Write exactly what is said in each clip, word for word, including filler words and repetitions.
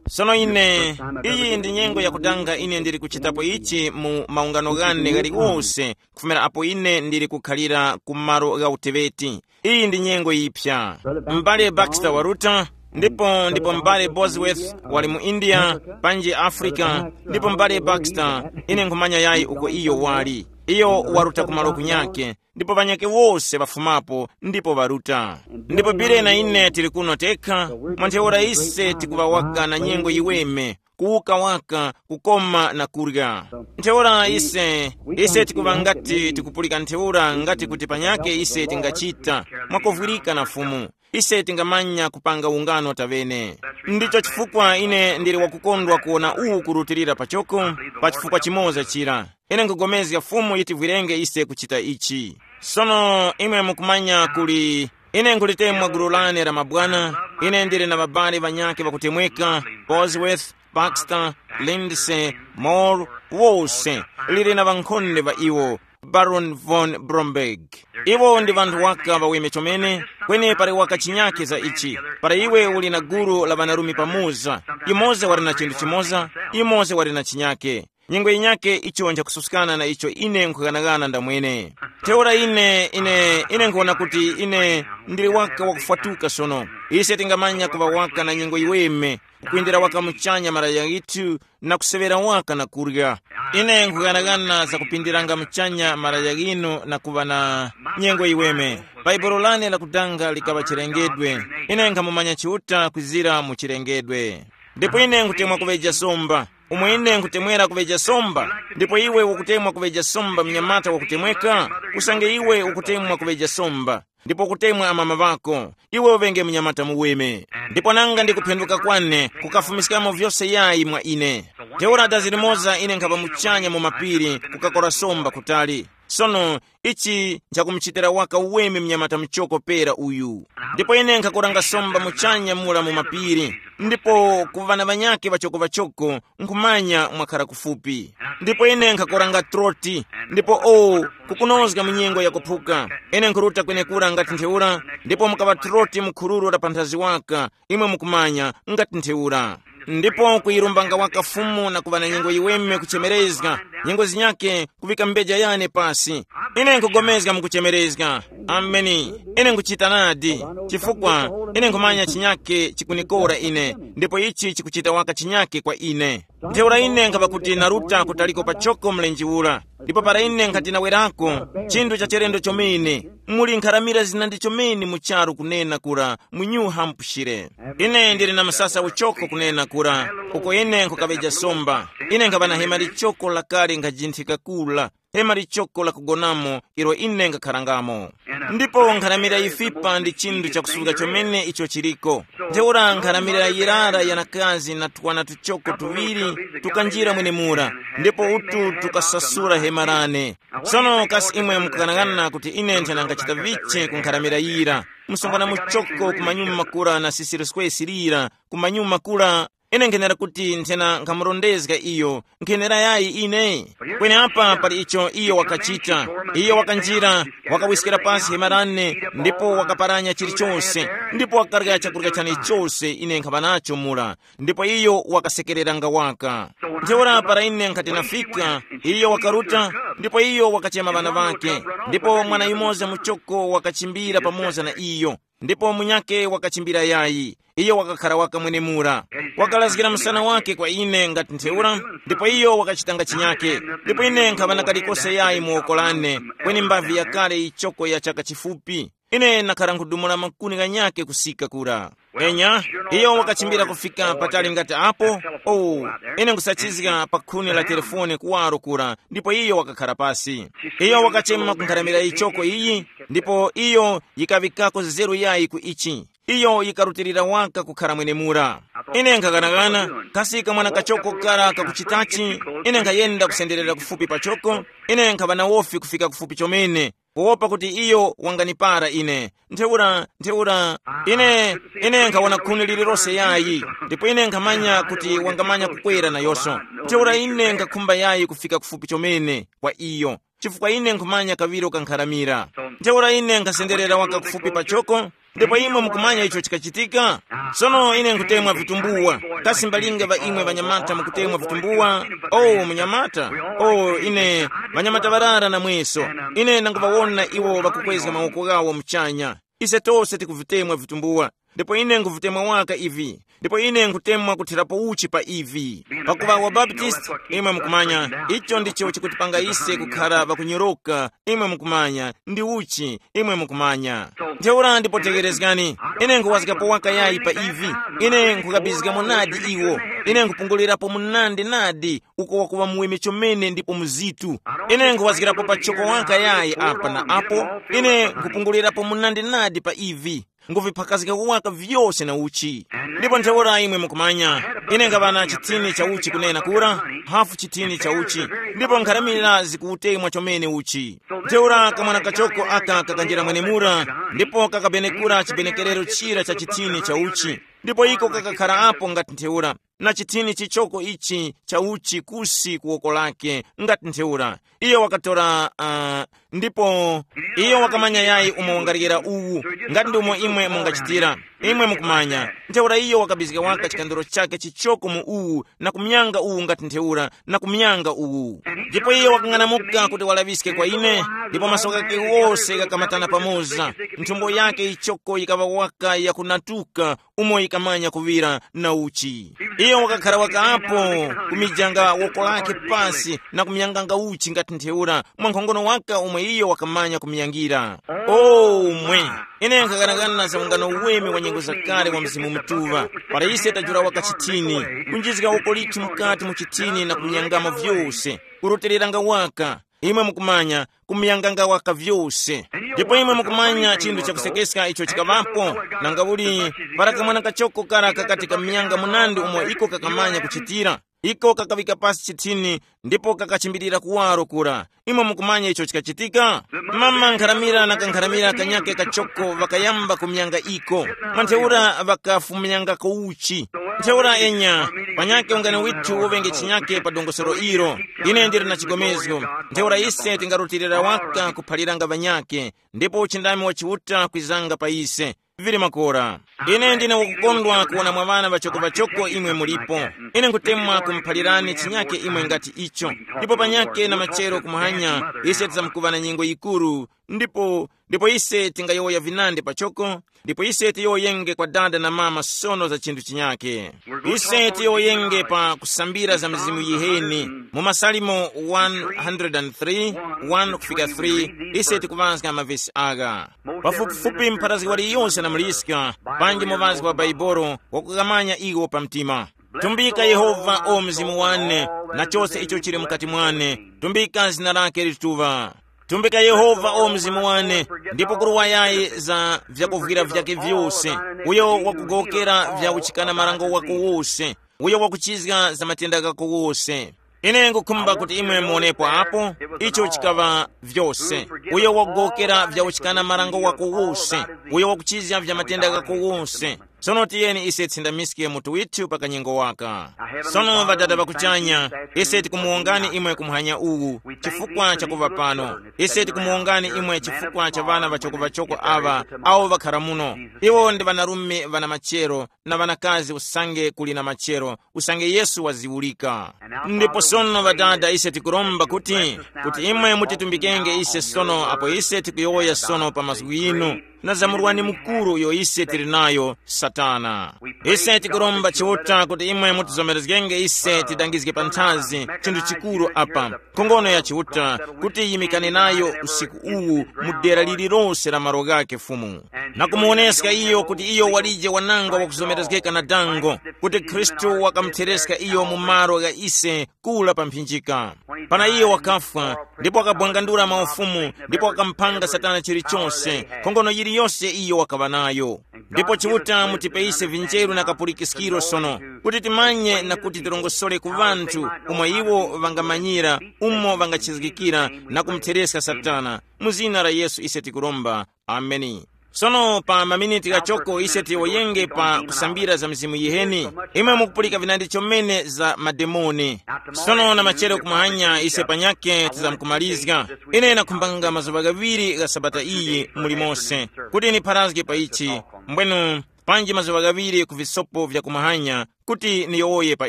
Sono ine, iyi ndi nyengo yakutanga ine ndili kuchitapo ichi mu maungano ghane ghaliwose, kufumira apo ine ndili kukhalira ku malo gha uteŵeti. Iyi ndi nyengo yiphya. M'bale Baxter waruta, ndipo ndipo m'bale Bosworth wali mu India, panji Africa, ndipo m'bale Baxter, ine nkhumanya yayi uko iyo wali. Iyo waruta ku malo kunyake, ndipo ŵanyakhe wose ŵafumapo ndipo ŵaruta. Ndipo Bile na ine tili kuno tekha, mwa ntheura ise tikuŵa waka na nyengo yiweme, kuwuka waka, kukoma na kurya. Ntheura ise, ise tikuŵa ngati tikupulika ntheura ngati kuti panyakhe ise tingachita, mwakuvwirika na Fumu. Ise tingamanya kupanga ungano taŵene. Ndicho chifukwa ine ndili wakukondwa kuwona uwu kurutilira pachoko, pa chifukwa chimoza chira. Ine nkugomezga Fumu yitivwirenge ise kuchita ichi. Sono imwe mukumanya kuli, ine nkhulite mwa gulu lane la mabwana, ine ndili na ŵabale ŵanyakhe ŵakutemweka, Bosworth, Baxter, Lindsay, Moore, wose, lili na ŵankhonde ŵa iwo, Baron von Bromberg. Iwo ndi ŵanthu waka ŵaweme chomene, kweni pali waka chinyakhe za ichi. Para iwe uli na gulu la ŵanarume pamoza, imoza wali na chinthu chimoza, imoza wali na chinyakhe. Nyengo yinyakhe icho nchakususkana na icho ine nkhughanaghana ndamwene. Ntheura ine, ine, ine nkhuwona kuti ine ndili waka wakufwatuka sono. Ise tingamanya kuŵa waka na nyengo yiweme, kukwendera waka muchanya malaya ghithu, na kuseŵera waka na kurya. Ine nkhughanaghana za kupindiranga muchanya malaya ghinu na kuŵa na nyengo yiweme. Bhaibuli lane lakudanga likaŵa chilengedwe. Ine nkhamumanya Chiuta kwizira mu chilengedwe. Ndipo ine nkutemwa kuŵeja somba. Umo ine nkutemwera kuŵeja somba, ndipo iwe ukutemwa kuŵeja somba, mnyamata wakutemweka, usange iwe ukutemwa kuŵeja somba, ndipo ukutemwa amama ŵako, iwe uŵenge mnyamata muweme. Ndipo nanga ndikuphenduka kwane kukafumiskamo vyose yayi mwa ine. Ntheura dazi limoza ine nkhapa muchanya mu mapiri kukakora somba kutali. Sono, ichi nchakumuchitira waka uweme mnyamata muchoko pera uyu. Ndipo ine nkhakoranga somba muchanya mura mu mapiri, ndipo ku ŵana ŵanyakhe ŵachoko-ŵachoko nkhumanya mwakhara kufupi. Ndipo ine nkhakoranga troti, ndipo o, kukunozga mu nyengo yakuphuka. Ine nkhuruta kwenekura ngati ntheura, ndipo mukaŵa troti mu khururu la panthazi waka, imwe mukumanya, ngati ntheura. Ndipo kuyirumbanga waka Fumu na kuŵa na nyengo yiweme kuchemerezga, nyengo zinyakhe kuvika mbeja yane pasi. Ine nkugomezga mukuchemerezga. Ameni. Ine nkuchita nadi, chifukwa ine nkhumanya chinyakhe chikunikora ine, ndipo ichi chikuchita waka chinyakhe kwa ine. Ntheura ine nkhapa kuti naruta kutaliko pachoko mlenje ura, ndipo para ine nkhati nawerako, chinthu cha chilendo chomene, muli nkharamira zinandi chomene mu charu kunena kura, mu New Hampshire. Ine ndili na msasa uchoko kunena kura, uko ine nkukaŵeja somba. Ine nkhaŵa na hema lichoko lakale nkajinthika kula, hema lichoko lakugonamo ilo ine nkakharangamo. Ndipo nkharamira ifipa ndi chinthu chakusuka chomene icho chiliko. Ntheura nkharamira yirara yanakazi na twana tuchoko tuŵiri tukanjira mwenemura, ndipo utu tukasasura hema lane. Sono kasi imwe mukughanaghana kuti ine nthena ngachita vichi ku nkharamira yira? Msonkho na muchoko kumanyuma kura na sisiriskwesi lira, kumanyuma kura, ine nkhenera kuti nthena nkhamurondezga iyo, nkhenera yayi ine? Kweni apa pali icho iyo wakachita. Iyo wakanjira, wakawiskira pasi hema lane, ndipo wakaparanya chilichose, ndipo wakarya chakurya chane chose ine nkhaŵa nacho mura, ndipo iyo wakasekereranga waka. Ntheura para ine nkhati nafika, iyo wakaruta, ndipo iyo wakachema ŵana ŵake, ndipo mwana yumoza muchoko wakachimbira pamoza na iyo, ndipo munyakhe wakachimbira yayi. Iyo wakakhara waka mwenemura, wakalazgira msana wake kwa ine ngati ntheura, ndipo iyo wakachitanga chinyakhe. Ndipo ine nkhaŵa na kalikose yayi mu woko lane, kweni mbavi yakale ichoko ya chaka chifupi. Ine nakhara nkhudumula makuni ghanyakhe kusika kura. Enya, iyo wakachimbira kufika patali ngati apo. Oh, ine nkusachizga pa khuni la telefone kuwaro kura, ndipo iyo wakakhara pasi. Iyo wakachema kunkharamira ichoko iyi, ndipo iyo yikaŵikako nzeru yayi ku ichi. Iyo yikarutilira waka kukhara mwenemura. Ine nkhaghanaghana, kasi kamwana kachoko kara kakuchitachi? Ine nkhayenda kusenderera kufupi pachoko. Ine nkhaŵa na wofi kufika kufupi chomene, kuwopa kuti iyo wanganipara ine. Ntheura, ntheura, ine, ine nkhawona khuni lililose yayi, ndipo ine nkhamanya kuti wangamanya kukwera nayoso. Ntheura ine nkhakhumba yayi kufika kufupi chomene kwa iyo, chifukwa ine nkhumanya kaŵiro kankharamira. Ntheura ine nkhasenderera waka kufupi pachoko, Ndipo imwe mukumanya icho chikachitika? Sono ine nkutemwa vitumbuwa. Kasi mbalinga ŵa imwe ŵanyamata mukutemwa vitumbuwa? Oh, munyamata. Oh, ine, ŵanyamata ŵarara na mweso. Ine ndanguŵawona iwo ŵakukwezga mawoko ghawo muchanya. Ise tose tikuvitemwa vitumbuwa. Ndipo ine nkuvitemwa waka ivi. Ndipo ine nkutemwa kuthirapo uchi pa ivi. Pakuva wabaptisti, imwe mukumanya, icho ndicho chikutipanga ise kukhara ŵakunyoroka. Imwe mukumanya, ndi uchi, imwe mukumanya. Ntheura ndipo tekerezgani, ine nkuwazgapo waka yayi pa ivi. Ine nkukabizgamo nadi iwo. Ine nkupungulirapo munandi nadi, uko wakuŵa muweme chomene ndipo muzitu. Ine nkuwazgirapo pachoko waka yayi apa na apo. Ine nkupungulirapo munandi nadi pa ivi. Nguviphakazgako waka vyose na uchi. Ndipo ntheura imwe mukumanya, ine ngaŵa na chithini cha uchi kunena kura, hafu chithini cha uchi, ndipo nkharamira zikuutemwa chomene uchi. Ntheura kamwana kachoko aka kakanjira mwenemura, ndipo kakabenekura chibenekerero chira cha chithini cha uchi, ndipo iko kakakhara apo ngati ntheura, na chithini chichoko ichi cha uchi kusi ku woko lake, ngati ntheura. Iyo wakatora uh, ndipo iyo wakamanya yayi umo wangaryera uwu, ngati ndi umo imwe mungachitira. Imwe mukumanya, ntheura iyo wakabizga waka chikandiro chake chichoko mu uwu, na kumyanga uwu ngati ntheura, na kumyanga uwu. Ndipo iyo wakang'anamuka kuti walaŵiske kwa ine, ndipo maso ghake wose ghakamatana pamoza, nthumbo yake ichoko yikaŵa waka yakunatuka, umo yikamanya kuŵira na uchi. Iyo wakakhara wakapo, kumijanga woko lake pasi na kumyanganga uchi ngati ntheura, mwankhongono waka umwe iyo wakamanya kumyangira. O mwe! Ine nkhaganagana za ungano uweme wa nyengo zakale wa Mzimu Mutuŵa, para ise tajula waka chithini, kunjizga woko lithu mukati mu chithini na kumyangamo vyose, kurotereranga waka, imwe mukumanya, kumuyanganga waka vyose. Ndipo imwe mukumanya chinthu chakusekeska icho chikaŵapo, nanga uli, para kamwana kachoko kara kakati kamuyanga munandi umo iko kakamanya kuchitira, iko kakaŵika pasi chithini, ndipo kakachimbirira kuwaro kura. Imwe mukumanya icho chikachitika? Mama nkharamira na kankharamira kanyake kachoko ŵakayamba kumuyanga iko. Mwa ntheura ŵakafumuyangako uchi. Ntheura enya, panyake ungani withu uŵenge chinyake pa dongosolo ilo. Ine ndili na chigomezgo. Ntheura ise tingarutilira waka kuphaliranga ŵanyake, ndipo uchindami wa Chiuta kwizanga pa ise. Vili makora. Ine ndine wakukondwa kuwona mwa ŵana ŵachoko-ŵachoko imwe mulipo. Ine nkutemwa kumuphalirani chinyake imwe ngati icho. Ndipo panyake na machero kumuhanya, ise tizamkuŵa na nyengo yikuru, ndipo ndipo ise tingayowoya vinandi pachoko. Ndipo ise tiyowoyenge kwa dada na mama sono za chinthu chinyake. Ise tiyowoyenge pa kusambira za mizimu yiheni, mu masalimo one hundred three, one kufika three. Ise tikuŵazga mavesi agha. Pafupifupi mpharazgi waliyose na muliska, panji muŵazgi wa Baibolo, wakukamanya iwo pa mtima. Tumbika Yehova, o mzimu wane, na chose icho chili mukati mwane. Tumbika zina lake lituŵa. Tumbika Yehova, o mzimu wane, ndipo kuruwayayi za vyakuvwira vyake vyose. Uyo wakugowokera vya uchikana marango wako wose, uyo wakuchizga za matenda ghako wose. Ine ngukhumba kuti imwe muonepo apo, icho chikaŵa vyose. Uyo wakugowokera vya uchikana marango wako wose, uyo wakuchizga vya matenda ghako wose. Sono tiyeni ise tisindamiske mutu withu pa kanyengo waka. Sono Ŵadada ŵa kuchanya, ise tikumuwongani imwe ku muhanya uwu, chifukwa cha kuŵa pano. Ise tikumuwongani imwe chifukwa cha ŵana ŵachoko-ŵachoko aŵa, awo ŵakhara muno. Iwo ndi ŵanarume ŵana machero na ŵanakazi usange kuli na machero, usange Yesu waziwulika. Ndipo sono Ŵadada, ise tikuromba kuti, kuti imwe mutitumbikenge ise sono apo ise tikuyowoya sono pa mazgu ghinu. Na zamurwani mukuru uyo ise tili nayo, Satana. Ise tikuromba Chiuta kuti imwe mutizomerezgenge ise tidangizge panthazi chinthu chikuru apa, nkhongono ya Chiuta, kuti yimikane nayo usiku uwu mu dera lililose la malo ghake Fumu, na kumuwoneska iyo kuti iyo walije wanangwa wakuzomerezgeka na dango, kuti Khristu wakamuthereska iyo mu malo gha ise kula pa mphinjika. Pana iyo wakafwa, ndipo wakabwangandula maufumu, ndipo wakamupanga Satana chilichonse, nkhongono yiliyose iyo wakaŵa nayo. Ndipo Chiuta mutipe ise vinjeru na kapulikiskiro sono, kuti timanye na kuti tirongosole ku ŵanthu umo iwo ŵangamanyira, umo ŵangachizgikira na kumuthereska Satana. Mu zina la Yesu ise tikuromba. Ameni. Sono pa maminiti ghachoko ise tiyowoyenge pa kusambira za mizimu yiheni. Imwe mukupulika vinandi chomene za mademoni. Sono na machero kumahanya ise panyake tizamkumalizga. Ine nakhumbanga mazuŵa ghaŵiri gha sabata iyi muli mose kuti nipharazge pa ichi. Mbwenu, panji mazuŵa ghaŵiri ku visopo vya kumahanya kuti niyowoye pa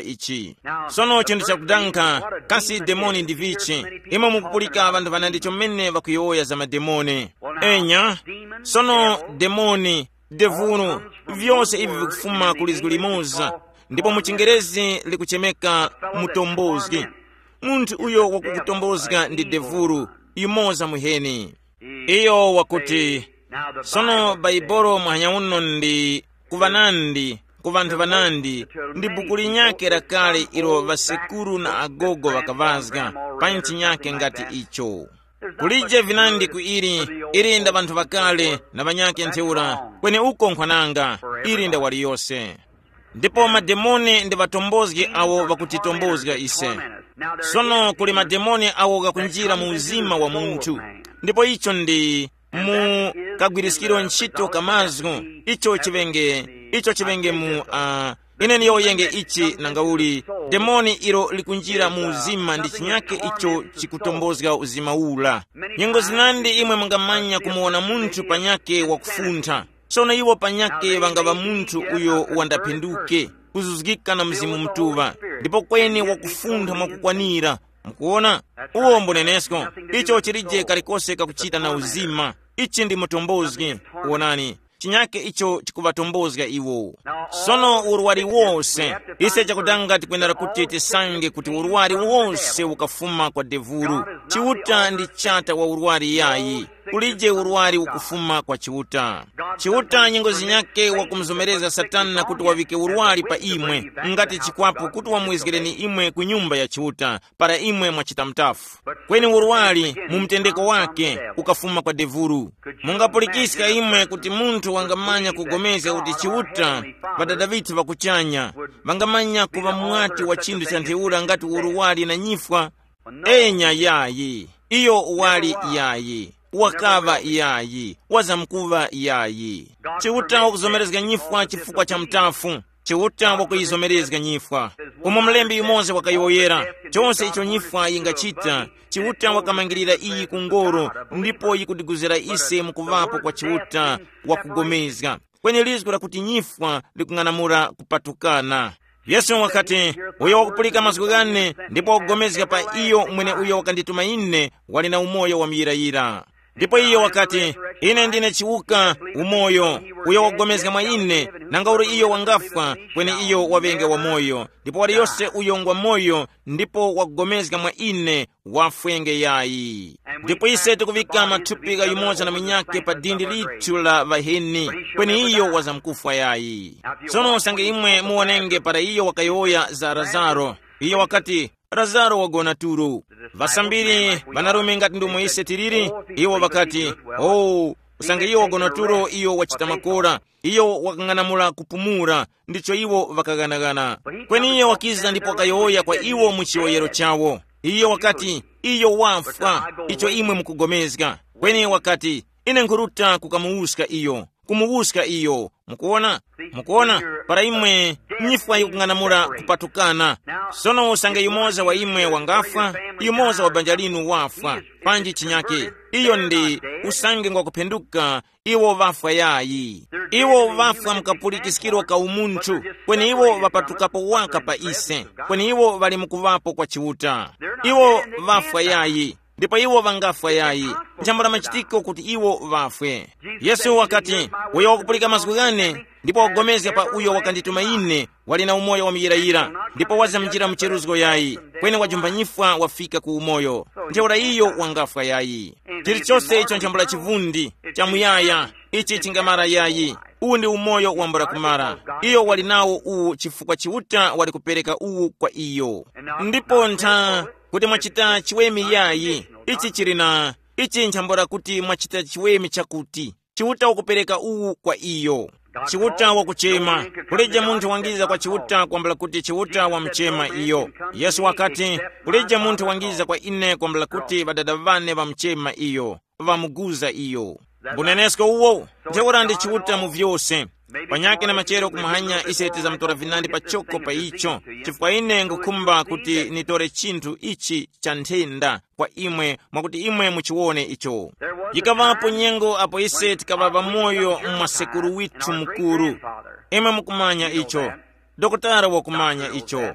ichi. Sono chinthu chakudanga, kasi demoni ndi vichi? Imwe mukupulika ŵanthu ŵanandi chomene ŵakuyowoya za mademoni. Enya, sono demoni, devulu, vyose ivi vikufuma ku lizgu limoza, ndipo mu chingerezi likuchemeka mutombozgi. Munthu uyo wakukutombozga ndi devulu, yumoza muheni. Iyo wakuti, sono Baibolo muhanya uno ndi ku ŵanandi, ku ŵanthu ŵanandi, ndi buku linyakhe lakale ilo ŵasekuru na agogo ŵakaŵazga, pa ntchi nyakhe ngati icho. Kulije vinandi ku ili, ili nda ŵanthu ŵakale na ŵanyakhe ntheura, kweni uko nkhwananga, ili nda waliyose. Ndipo mademoni ndi ŵatombozgi awo ŵakutitombozga ise. Sono kuli mademoni awo ghakunjira mu uzima wa munthu, ndipo icho ndi mu kagwiriskiro ntchito ka mazgu, icho chiŵenge, icho chiŵenge mu uh, ine niyowoyenge ichi nangauli. Demoni ilo likunjira mu uzima ndi chinyake icho chikutombozga uzima ula. Nyengo zinandi imwe mungamanya kumuwona munthu panyake wakufuntha. Sono iwo panyake ŵangaŵa munthu uyo wandaphinduke, kuzuzgika na Mzimu Mutuŵa, ndipo kweni wakufuntha mwakukwanira. Mukuona? Uwo mbunenesko. Icho chilije kalikose kakuchita na uzima. Ichi ndi mutombozgi. Wonani, chinyake icho chikuŵatombozga iwo. Sono urwari wose, ise chakutanga tikwenera kuti tisange kuti urwari wose ukafuma kwa devulu. Chiuta ndi chata wa urwari yayi. Kulije urwari ukufuma kwa Chiuta. Chiuta nyengo zinyake wakumuzomereza Satana kuti wavike urwari pa imwe, ngati chikwapu kuti wamwezgereni imwe ku nyumba ya Chiuta, para imwe mwachita mtafu. Kweni urwari mu mtendeko wake ukafuma kwa devulu. Mungapulikiska imwe kuti munthu wangamanya kugomezga kuti Chiuta, Ŵadada ŵithu ŵa kuchanya, ŵangamanya kuŵa mwati wa chinthu cha ntheura ngati urwari na nyifwa? Enya yayi, iyo wali yayi, wakaŵa yayi, wazamkuŵa yayi. Chiuta wakuzomerezga nyifwa chifukwa cha mtafu. Chiuta wakuyizomerezga nyifwa. Umo mlembi yumoza wakayowoyera, chose icho nyifwa yingachita, Chiuta wakamangirira iyi ku ngoro, ndipo yikutiguzira ise mukuvapo kwa Chiuta wakugomezga. Kweni lizgu lakuti nyifwa likung'anamula kupatukana. Yesu wakati, uyo wakupulika mazgu ghane ndipo wakugomezga pa iyo mweneuyo wakandituma ine, wali na umoyo wa muyirayira. Ndipo iyo wakati, ine ndine chiwuka, umoyo. Uyo wakugomezga mwa ine, nanga uli iyo wangafwa, kweni iyo waŵenge wamoyo. Ndipo waliyose uyo ngwa moyo ndipo wakugomezga mwa ine, wafwenge yayi. Ndipo ise tikuŵika mathupi gha yumoza na munyakhe pa dindi lithu la ŵaheni, kweni iyo wazamkufwa yayi. Tsono usange imwe muwonenge para iyo wakayowoya za Lazaro, iyo wakati, Lazaro wagona tulo. Ŵasambiri ŵanarume ngati ndomwe ise tiliri, iwo ŵakati, oh, usange iyo wagona tulo iyo wachita makora, iyo wakang'anamula kupumula. Ndicho iwo ŵakaghanaghana. Kweni iyo wakiza ndipo wakayowoya kwa iwo mu chiyowoyero chawo. Iyo wakati, iyo wafwa, icho imwe mukugomezga. Kweni wakati, ine nkhuruta kukamuwuska iyo, kumuwuska iyo. Mukuona? Mukuona? Para imwe nyifwa yikung'anamula kupatukana. Sono usange yumoza wa imwe wangafwa, yumoza wa banja linu wafwa, panji chinyake, iyo ndi usange ngwakuphenduka, iwo ŵafwa yayi. Iwo ŵafwa mu kapulikiskiro ka umunthu, kweni iwo ŵapatukapo waka pa ise, kweni iwo ŵali mukuŵapo kwa Chiuta. Iwo ŵafwa yayi, ndipo iwo ŵangafwa yayi. Nchambula machitiko kuti iwo ŵafwe. Yesu wakati, uyo wakupulika mazgu ghane, ndipo wakupulikana pa uyo wakandituma ine, wali na umoyo wamuyirayira, ndipo wazamjira mu cheruzgo yayi, kweni wajumba nyifwa wafika ku umoyo. Ntheura iyo wangafwa yayi. Chilichose icho nchambula chivundi, chamuyaya, ichi chingamara yayi. Uwu ndi umoyo wambula kumara. Iyo wali nawo uwu chifukwa Chiuta wali kupereka uwu kwa iyo. Ndipo ntha kuti mwachita chiweme yayi, ichi chili na, ichi nchambula kuti mwachita chiweme chakuti. Chiuta wakupereka uwu kwa iyo. Chiuta wakuchema. Kulije munthu wangiza kwa Chiuta kwambula kuti Chiuta wamuchema iyo. Yesu wakati, kulije munthu wangiza kwa ine kwambula kuti ŵadada ŵane ŵamuchema iyo, ŵamuguza iyo. Mbunenesko uwo, ntheura ndi Chiuta mu vyose. Panyakhe na machero kumahanya ise tizamutora vinandi pachoko pa icho, chifukwa ine ngukhumba kuti nitore chinthu ichi cha nthenda kwa imwe, mwakuti imwe muchiwone icho. Yikaŵapo nyengo apo ise tikaŵa pamoyo mwa sekuru withu mukuru. Imwe mukumanya icho. Dokotala wakumanya icho.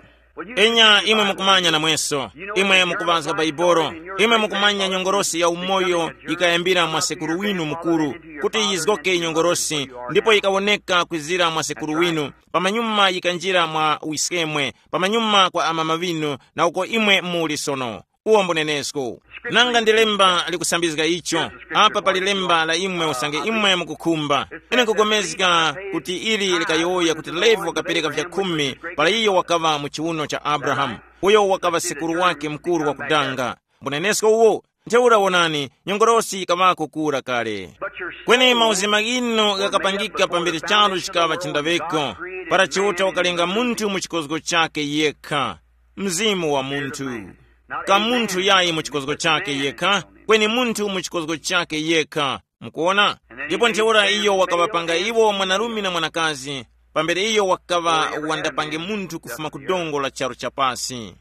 Enya imwe mukumanya namweso. Imwe mukuŵazga Baibolo. Imwe mukumanya nyongorosi ya umoyo yikayambira mwa sekuru winu mukuru, kuti yizgoke nyongorosi, ndipo yikawoneka kwizira mwa sekuru winu, pamanyuma yikanjira mwa wiskemwe, pamanyuma kwa amama ŵinu, na uko imwe muli sono. Uwo mbunenesko. Nanga ndi lemba likusambizga icho. Apa pali lemba la imwe usange imwe mukukhumba. Ine nkugomezga kuti ili likayowoya kuti Levi wakapereka vyakhumi para iyo wakaŵa mu chiuno cha Abrahamu, uyo wakaŵa sekuru wake mukuru wakudanga. Mbunenesko uwo. Ntheura wonani, nyongolosi yikaŵako kura kale. Kweni mauzima ghinu ghakapangika pambere charu chikaŵa chindaŵeko, para Chiuta wakalenga munthu mu chikozgo chake yekha, mzimu wa munthu. Ka munthu yayi mu chikozgo chake yekha, kweni munthu mu chikozgo chake yekha. Mukuona? Ndipo ntheura iyo wakaŵapanga iwo mwanarume na mwanakazi, pambere iyo wakaŵa wandapange munthu kufuma ku dongo la charu chapasi.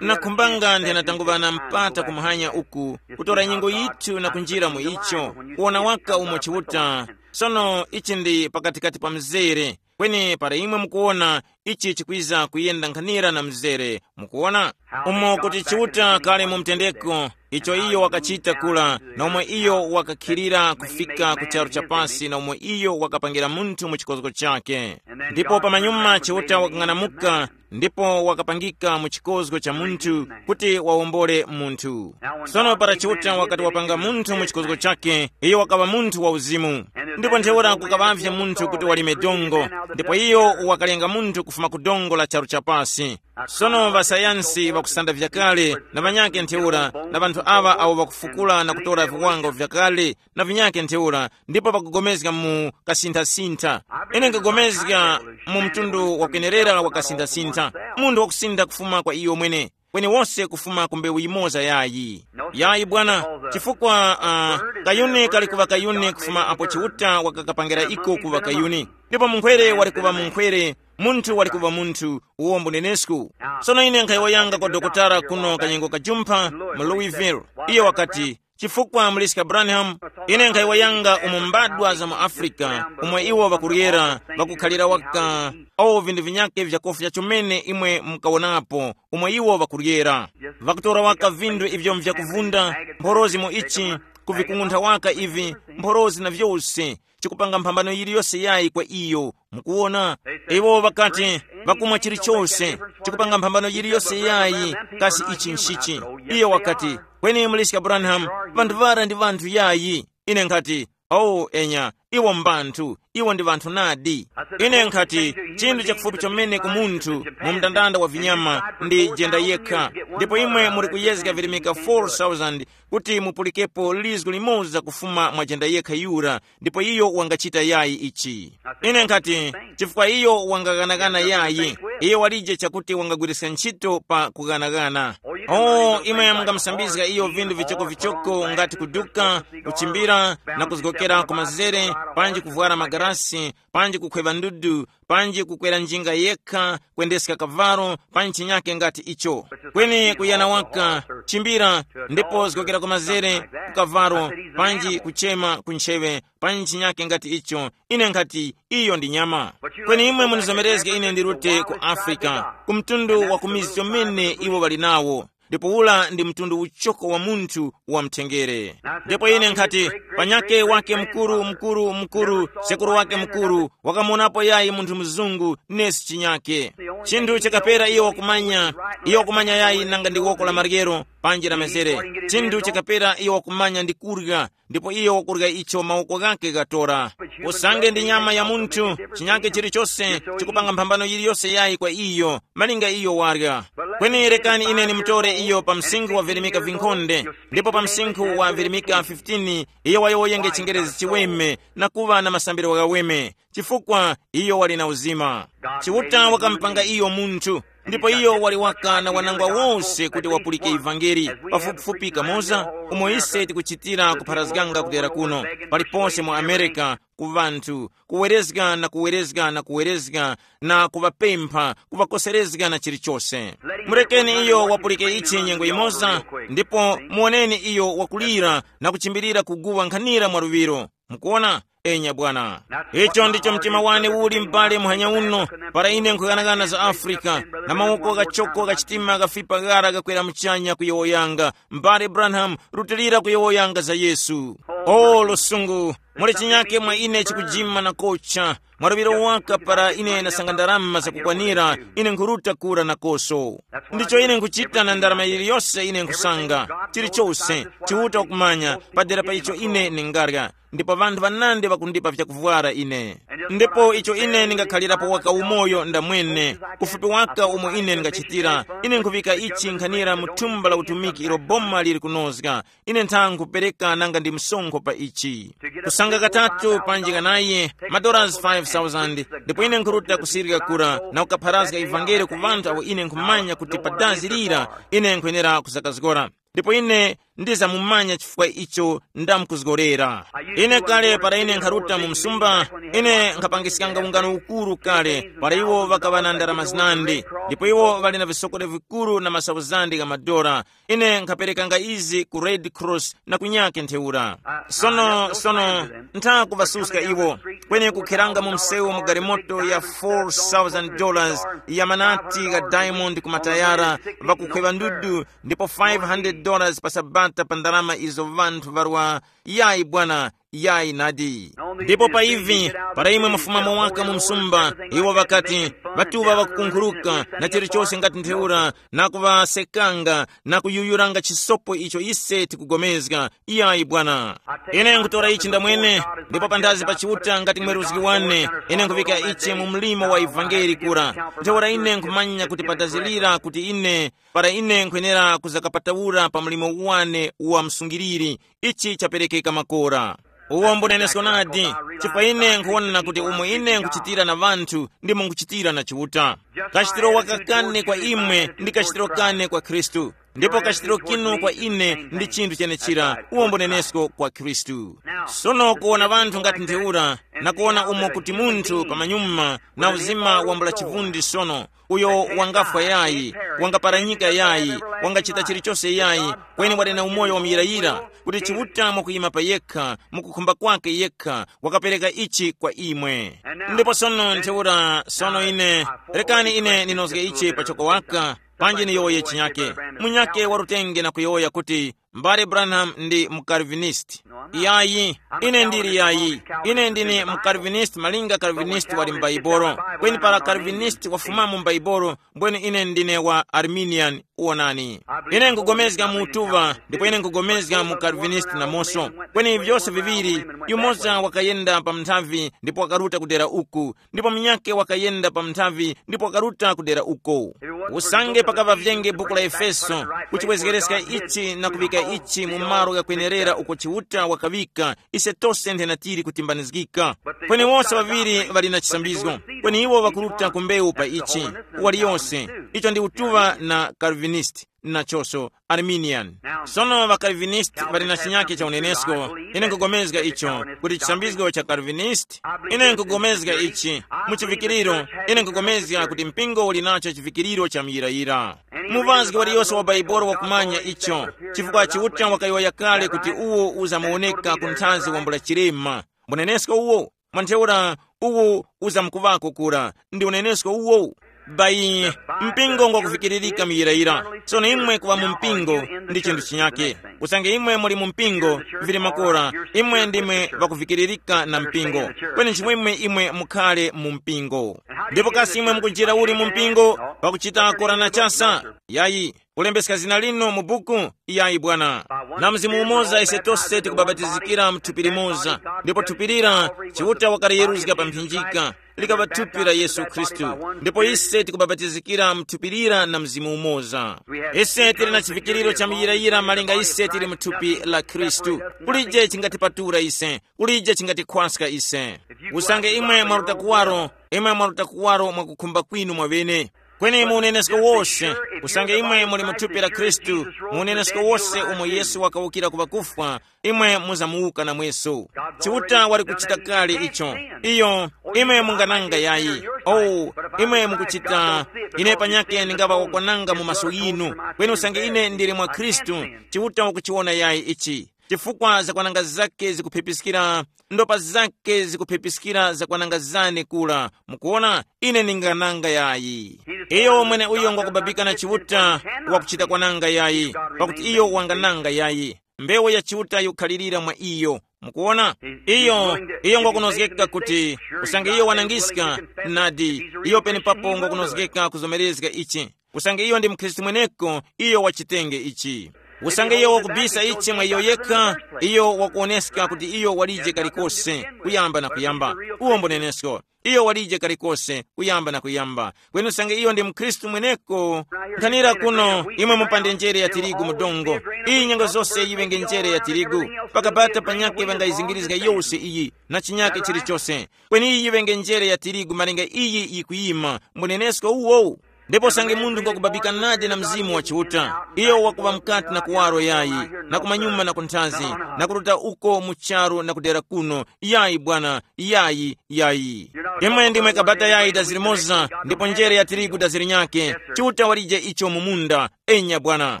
Nakhumbanga ndinatanguŵana mpata kumuhanya uku, kutora nyengo yithu na kunjira mu icho, kuwona waka umo Chiuta. Sono ichi ndi pakatikati pa mzere, kweni para imwe mukuwona, ichi chikwiza kuyenda nkhanira na mzere. Mukuwona? Umo kuti Chiuta kale mu mtendeko, icho iyo wakachita kula, na umo iyo wakakhilira kufika ku charu chapasi, na umo iyo wakapangira munthu mu chikozgo chake. Ndipo pamanyuma Chiuta wakang'anamuka, ndipo wakapangika mu chikozgo cha munthu, kuti wawombole munthu. Sono para Chiuta wakati wapanga munthu mu chikozgo chake, iyo wakaŵa munthu wa uzimu. Ndipo ntheura kukaŵavye munthu kuti walime dongo, ndipo iyo wakalenga munthu kufuma ku dongo la charu chapasi. Sono ŵasayansi ŵakusanda vyakale na ŵanyake ntheura, na ŵanthu aŵa awo ŵakufukula na kutora viwango vyakale na vinyake ntheura, ndipo ŵakugomezga mu kasinthasintha. Ine nkugomezga mu mtundu wakwenerera wa kasinthasintha, munthu wakusintha kufuma kwa iyo mwene, kweni wose kufuma ku mbewu yimoza yayi. Yayi bwana, chifukwa uh, kayuni kali kuŵa kayuni kufuma apo Chiuta wakakapangira iko kuŵa kayuni, ndipo munkhwere wali kuŵa munkhwere, munthu wali kuŵa munthu, uwo mbunenesku. Sono ine nkhayowoyanga kwa dokotala kuno kanyengo kajumpha mu Louisville. Iyo wakati, chifukwa muliska Branham, ine nkhayowoyanga umo mbadwa za mu Afrika, umo iwo ŵakuryera, ŵakukhalira waka, o vinthu vinyake vyakofya chomene imwe mukawonapo, umo iwo ŵakuryera. Ŵakutora waka vinthu ivyo mvyakuvunda, mphorozi mu ichi, kuvikung'untha waka ivi, mphorozi na vyose, chikupanga mphambano yiliyose yayi kwa iyo. Mukuwona? Iwo ŵakati, ŵakumwa chilichose, chikupanga mphambano yiliyose yayi, kasi ichi nchichi? Iyo wakati, kweni muliska Branham, vanthu vara ndi vanthu yayi. Ine nkhati, oh enya, iwo mbanthu, iwo ndi vanthu nadi. Ine nkhati, chinthu chakufupi chomene ku munthu mu mndandanda wa vinyama ndi jenda yekha, ndipo imwe muri kuyezga virimika four thousand kuti mupulikepo lizgu limoza kufuma mwa jenda yekha yura, ndipo iyo wangachita yayi ichi. Ine nkhati, chifukwa iyo wangaghanagana yayi, iyo walije chakuti wangagwiriska ntchito pa kughanagana. Oh, imwe mungamusambizga iyo vindu vichokovichoko ngati kuduka, kuchimbira, na kuzgokera ku mazere, panji kuvwara magarasi, panji kukhweva ndudu, panji kukwera njinga yekha, kwendeska kavalo, panji chinyake ngati icho. Kweni kuyana waka, chimbira, ndipo zgokera ku mazere, ku kavalo, panji kuchema ku nchewe, panji chinyake ngati icho. Ine nkhati, iyo ndi nyama. Kweni imwe munizomerezge ine ndirute ku Afrika, ku mtundu wa kumizi chomene iwo ŵali nawo. Ndipo ula ndi mtundu uchoko wa munthu wa mthengere. Ndipo ine nkhati, panyake wake mkuru mkuru mkuru, sekuru wake mkuru, wakamuonapo yayi munthu mzungu nesi chinyake. Chinthu chakapera iyo wakumanya, iyo wakumanya yayi nanga ndi woko la maryero, panji la mezere. Chinthu chakapera iyo wakumanya ndi kurya, ndipo iyo wakurya icho mawoko ghake ghatora. Usange ndi nyama ya munthu, chinyake chilichose chikupanga mphambano yiliyose yayi kwa iyo, malinga iyo warya. Kweni rekani ine nimutore iyo pa msinkhu wa virimika vinkhonde, ndipo pa msinkhu wa virimika fifteen iyo wayowoyenge chingerezi chiweme, na kuŵa na masambiro ghaweme, chifukwa iyo wali na uzima. Chiuta wakamupanga iyo munthu. Ndipo iyo wali waka na wanangwa wose kuti wapulike ivangeli, pafupifupi kamoza umo ise tikuchitira kupharazganga kudera kuno, paliponse mu Amerika, ku ŵanthu, kuwerezga na kuwerezga na kuwerezga, na kuŵapempha, kuŵakoserezga na chilichose. Murekeni iyo wapulike ichi nyengo yimoza, ndipo muwoneni iyo wakulira na kuchimbilira kuguwa nkhanira mwa luŵiro. Mukuona? Enya bwana. Icho ndicho mtima wane uli m'bale muhanya uno, para ine nkhughanaghana za Afrika, na mawoko ghachoko gha chitima ghafipa ghara ghakwera muchanya kuyowoyanga, m'bale Branham, rutilira kuyowoyanga za Yesu. O lusungu, muli chinyake mwa ine chikujima na kocha. Mwa luŵiro waka para ine ndasanga ndarama zakukwanira, ine nkhuruta kura nakoso. Ndicho ine nkhuchita na ndarama yiliyose ine nkhusanga, chilichose, Chiuta wakumanya, padera pa icho ine ningarya, ndipo ŵanthu ŵanandi ŵakundipa vyakuvwara ine. Ndipo icho ine ningakhalirapo waka umoyo ndamwene, ufupi waka umo ine ningachitira, ine nkhuŵika ichi nkhanira mu thumba la utumiki ilo boma liri kunozga. Ine ntha nkhupereka nanga ndi msonkho pa ichi. Kusanga katatu panji kanayi, madolars five thousand, ndipo ine nkhuruta kusirika kura na kukapharazga ivangeli ku ŵanthu awo ine nkhumanya kuti pa dazi lira ine nkwenera kuzakazgora. Ndipo ine ndizamumanya chifukwa icho ndamkuzgorera. Ine kale para ine nkharuta mu msumba, ine nkhapangiskanga ungano ukuru kale para iwo ŵakaŵa na ndarama zinandi, ndipo iwo ŵali na visokole vikuru na masauzandi gha madora. Ine nkhaperekanga izi ku Red Cross na kunyake ntheura. Sono sono ntha kuvasuska iwo, kweni kukheranga mu msewu mu galimoto ya four thousand dollars ya manati gha diamond ku matayara, vakukhweŵa ndudu, ndipo five hundred dollars pa sabata pa ndalama izo vanthu varwa. Yayi bwana, yayi nadi. Ndipo pa ivi, para imwe mufumamo waka mu msumba, iwo ŵakati, ŵatuŵa ŵakukunkhuruka na chilichose ngati ntheura, na kuŵasekanga na kuyuyuranga chisopo icho ise tikugomezga. Iyayi bwana. Ine nkutora ichi ndamwene, ndipo panthazi pa Chiuta ngati mweruzgi wane, ine nkuvika ichi mu mlimo wa ivangeli kura. Ntheura ine nkhumanya kuti patazilira kuti ine, para ine nkhwenera kuzakapatawura pa mlimo wane wa msungiriri, ichi chaperekeka makora. Uwo mbunenesko nadi, chifukwa ine nkhuwona kuti umo ine nkhuchitira na ŵanthu, ndimo nkhuchitira na Chiuta. Kachitiro waka kane kwa imwe ndi kachitiro kane kwa Khristu, ndipo kachitiro kinu kwa ine ndi chinthu chenechira, uwo mbunenesko kwa Khristu. Sono kuwona ŵanthu ngati ntheura, na kuwona umo kuti munthu pamanyuma na uzima wambula chivundi sono, uyo wangafwa yayi, wangaparanyika yayi, wangachita chilichose yayi, kweni wali na umoyo wamuyirayira, kuti Chiuta mwakuyima pa yekha, mukukhumba kwake yekha, wakapereka ichi kwa imwe. Ndipo sono ntheura sono ine, rekani ine ninozge ichi pachoko waka, panji niyowoye chinyake. Munyake warutenge na kuyowoya kuti, Mbale Branham ndi mukalvinist. Yayi, ine ndili yayi. Ine ndine mukalvinist malinga kalvinist wali m'Baibolo. Kweni para kalvinist wafumamo m'Baibolo, mbwene ine ndine wa Arminian. Wonani, ine nkugomezga mu utuŵa, ndipo ine nkugomezga mu kalvinist namoso. Kweni vyose viŵiri, yumoza wakayenda pa mnthavi ndipo wakaruta kudera uku, ndipo munyakhe wakayenda pa mnthavi ndipo wakaruta kudera uko. Usange pakaŵa vyenge buku la Efeso, kuchiwezgereska ichi na kuŵika ichi mu malo ghakwenerera uko Chiuta wakaŵika, ise tose nthena tili kutimbanizgika. Kweni wose ŵaŵiri ŵali na chisambizgo, kweni iwo ŵakuruta ku mbewu pa ichi, waliyose. Icho ndi utuŵa na Calvinist, nachoso Arminian. Sono ŵaKalvinist ŵali na chinyake cha unenesko. Ine nkugomezga icho kuti chisambizgo cha Calvinist. Ine nkugomezga ichi mu chivikiriro. Ine nkugomezga kuti mpingo uli nacho chivikiriro cha muyirayira. Muvazgi waliyose wa Baibolo wakumanya icho, chifukwa Chiuta wakayowoya kale kuti uwo uzamuwoneka ku nthazi wambula chilema. Mbunenesko uwo, mwantheura, uwo uzamkuŵako kura, ndi unenesko uwo. Bayi, mpingo ngwakuvikiririka muyirayira. Tsono imwe kuŵa mu mpingo ndi chinthu chinyake. Usange imwe muli mu mpingo, vili makora, imwe ndimwe ŵakuvikiririka na mpingo. Kweni nchimwemwe imwe mukhale mu mpingo. Ndipo kasi imwe mukunjira uli mu mpingo, pakuchita kora na chasa? Yayi. Kulembeska zina linu mu buku? Iyayi bwana. Na mzimu umoza ise tose tikubabatizikira mu thupi limoza, ndipo thupi lira Chiuta wakaliyeruzga pa mphinjika, likaŵa thupi la Yesu Khristu. Ndipo ise tikubabatizikira mu thupi lira na mzimu umoza. Ise tili na chivikiriro cha muyirayira malinga ise tili mu thupi la Khristu. Kulije chingatipatula ise, kulije chingatikhwaska ise. Usange imwe mwaruta kuwaro, imwe mwaruta kuwaro mwakukhumba kwinu mwaŵene. Kweni mu unenesko wose, usange imwe muli mu thupi la Khristu, mu unenesko wose umo Yesu wakawukira ku ŵakufwa, imwe muzamuwuka namweso. Chiuta wali kuchita kale icho. Iyo, imwe mungananga yayi. Oh, imwe mukuchita, ine panyake ndingaŵa wakwananga mu maso yinu. Kweni usange ine ndili mwa Khristu, Chiuta wakuchiwona yayi ichi. Chifukwa zakwananga zake zikuphepiskira, ndopa zake zikuphepiskira zakwananga zane kula. Mukuona, ine ndingananga yayi. Iyo mwene uyo ngwakubabika na Chiuta, wakuchita kwananga yayi, pakuti iyo wangananga yayi. Mbewu ya Chiuta yikukhalirira mwa iyo. Mukuona, iyo iyo ngwakunozgeka kuti, usange iyo wanangiska, nadi, iyo penepapo ngwakunozgeka kuzomerezga ichi. Usange iyo ndi mkhristu mweneko, iyo wachitenge ichi. Usange iyo wakubisa ichi mwa iyo yekha, iyo wakuoneska kuti iyo walije kalikose kuyamba na kuyamba. Uwo mbunenesko, iyo walije kalikose kuyamba na kuyamba. Kweni usange iyo ndi mkhristu mweneko, nkhanira kuno, imwe mupande njere ya tirigu mu dongo. Iyi nyengo zose yiŵenge njere ya tirigu. Pakabata panyake ŵangayizingirizga yose iyi, na chinyake chilichose. Kweni iyi yiŵenge njere ya tirigu malinga iyi yikuyima, mbunenesko uwo. Ndipo usange munthu ngwakubabika nadi na Mzimu wa Chiuta, iyo wakuŵa mukati na kuwaro yayi, na kumanyuma na kunthazi, na kuruta uko mu charu na kudera kuno, yayi bwana, yayi, yayi. Imwe ndimwe kabata yayi dazi limoza, ndipo njere ya tirigu dazi linyake. Chiuta walije icho mu munda. Enya bwana.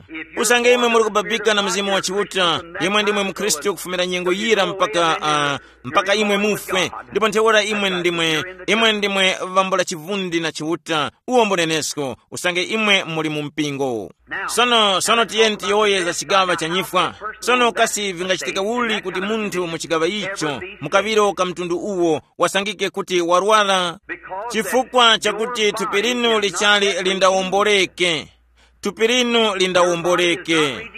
Usange imwe muli kubabika na Mzimu wa Chiuta, imwe ndimwe mkhristu kufumira nyengo yira mpaka uh, mpaka imwe mufwe. Ndipo ntheura imwe ndimwe, imwe ndimwe vambula chivundi na Chiuta. Uwo mbunenesko, usange imwe muli mu mpingo. Sono sono tiyeni tiyowoye za chigaŵa cha nyifwa. Sono kasi vingachitika uli kuti munthu mu chigaŵa icho, mukaŵiro ka mtundu uwo, wasangike kuti warwara? Chifukwa chakuti thupi linu lichali lindawomboleke. Thupi linu lindawomboleke.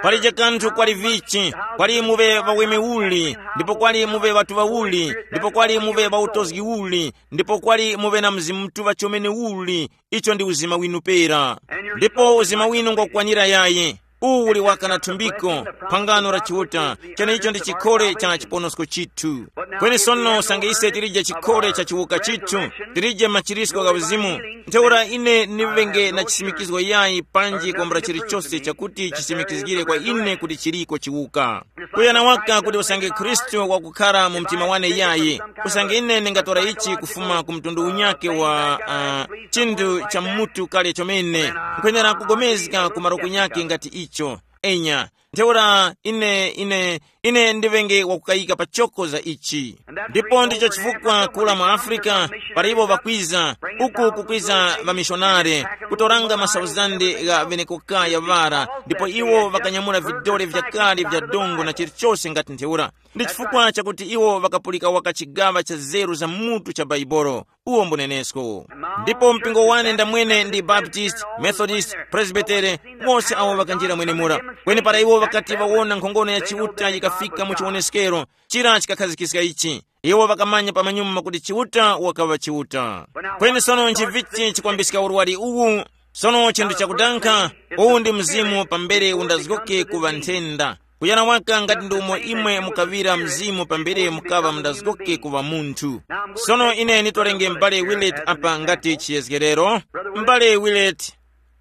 Palije kanthu kwali vichi, kwali muve ŵaweme uli, ndipo kwali muve ŵatuŵa uli, ndipo kwali muve ŵautozgi uli, ndipo kwali muve na Mzimu Mutuŵa chomene uli. Icho ndi uzima winu pera. Ndipo uzima winu ngwakukwanira yayi. Uwu uli waka na thumbiko, phangano la Chiuta, chenecho ndi chikhole cha chiponosko chithu. Kweni sono usange ise tilije chikhole cha chiwuka chithu, tilije machirisko gha uzimu, ntheura ine ndivenge na chisimikizgo yayi panji kwambula chilichose chakuti chisimikizgire kwa ine kuti chiliko chiwuka. Kuyana waka kuti usange Khristu wakukhala mu mtima wane yayi, usange ine ndingatora ichi kufuma ku mtundu unyake wa uh, chinthu cha mutu kale chomene, nkwenera kugomezga ku malo kunyake ngati icho. Enya, ntheura ine ine ine ndivenge wakukayika pachoko za ichi. Ndipo ndicho chifukwa kula mu Afrika, para iwo ŵakwiza, uku kukwiza ŵamishonare, kutoranga masauzande gha ŵenekokaya ŵara, ndipo iwo ŵakanyamula vidole vyakale vya dongo na chilichose ngati ntheura. Ndi chifukwa chakuti iwo ŵakapulika waka chigaŵa cha zeru za mutu cha Baibolo. Uwo mbunenesko. Ndipo mpingo wane ndamwene ndi Baptist, Methodist, Presbytere, wose awo ŵakanjira mwenemura. Kweni para iwo ŵakati ŵawona nkhongono ya Chiuta yikafika mu chiwoneskero, chira chikakhazikika ichi. Iwo ŵakamanya pamanyuma kuti Chiuta wakaŵa Chiuta. Kweni sono nchivichi chikwambiska urwari uwu? Sono chinthu chakudankha, uwu ndi mzimu pambere undazgoke kuŵa nthenda. Kuyana waka ngati ndi umo imwe mukaŵira mzimu pambere mukaŵa mundazgoke kuŵa munthu. Sono ine nditolenge m'bale Willett apa ngati chiyezgerero. M'bale Willett,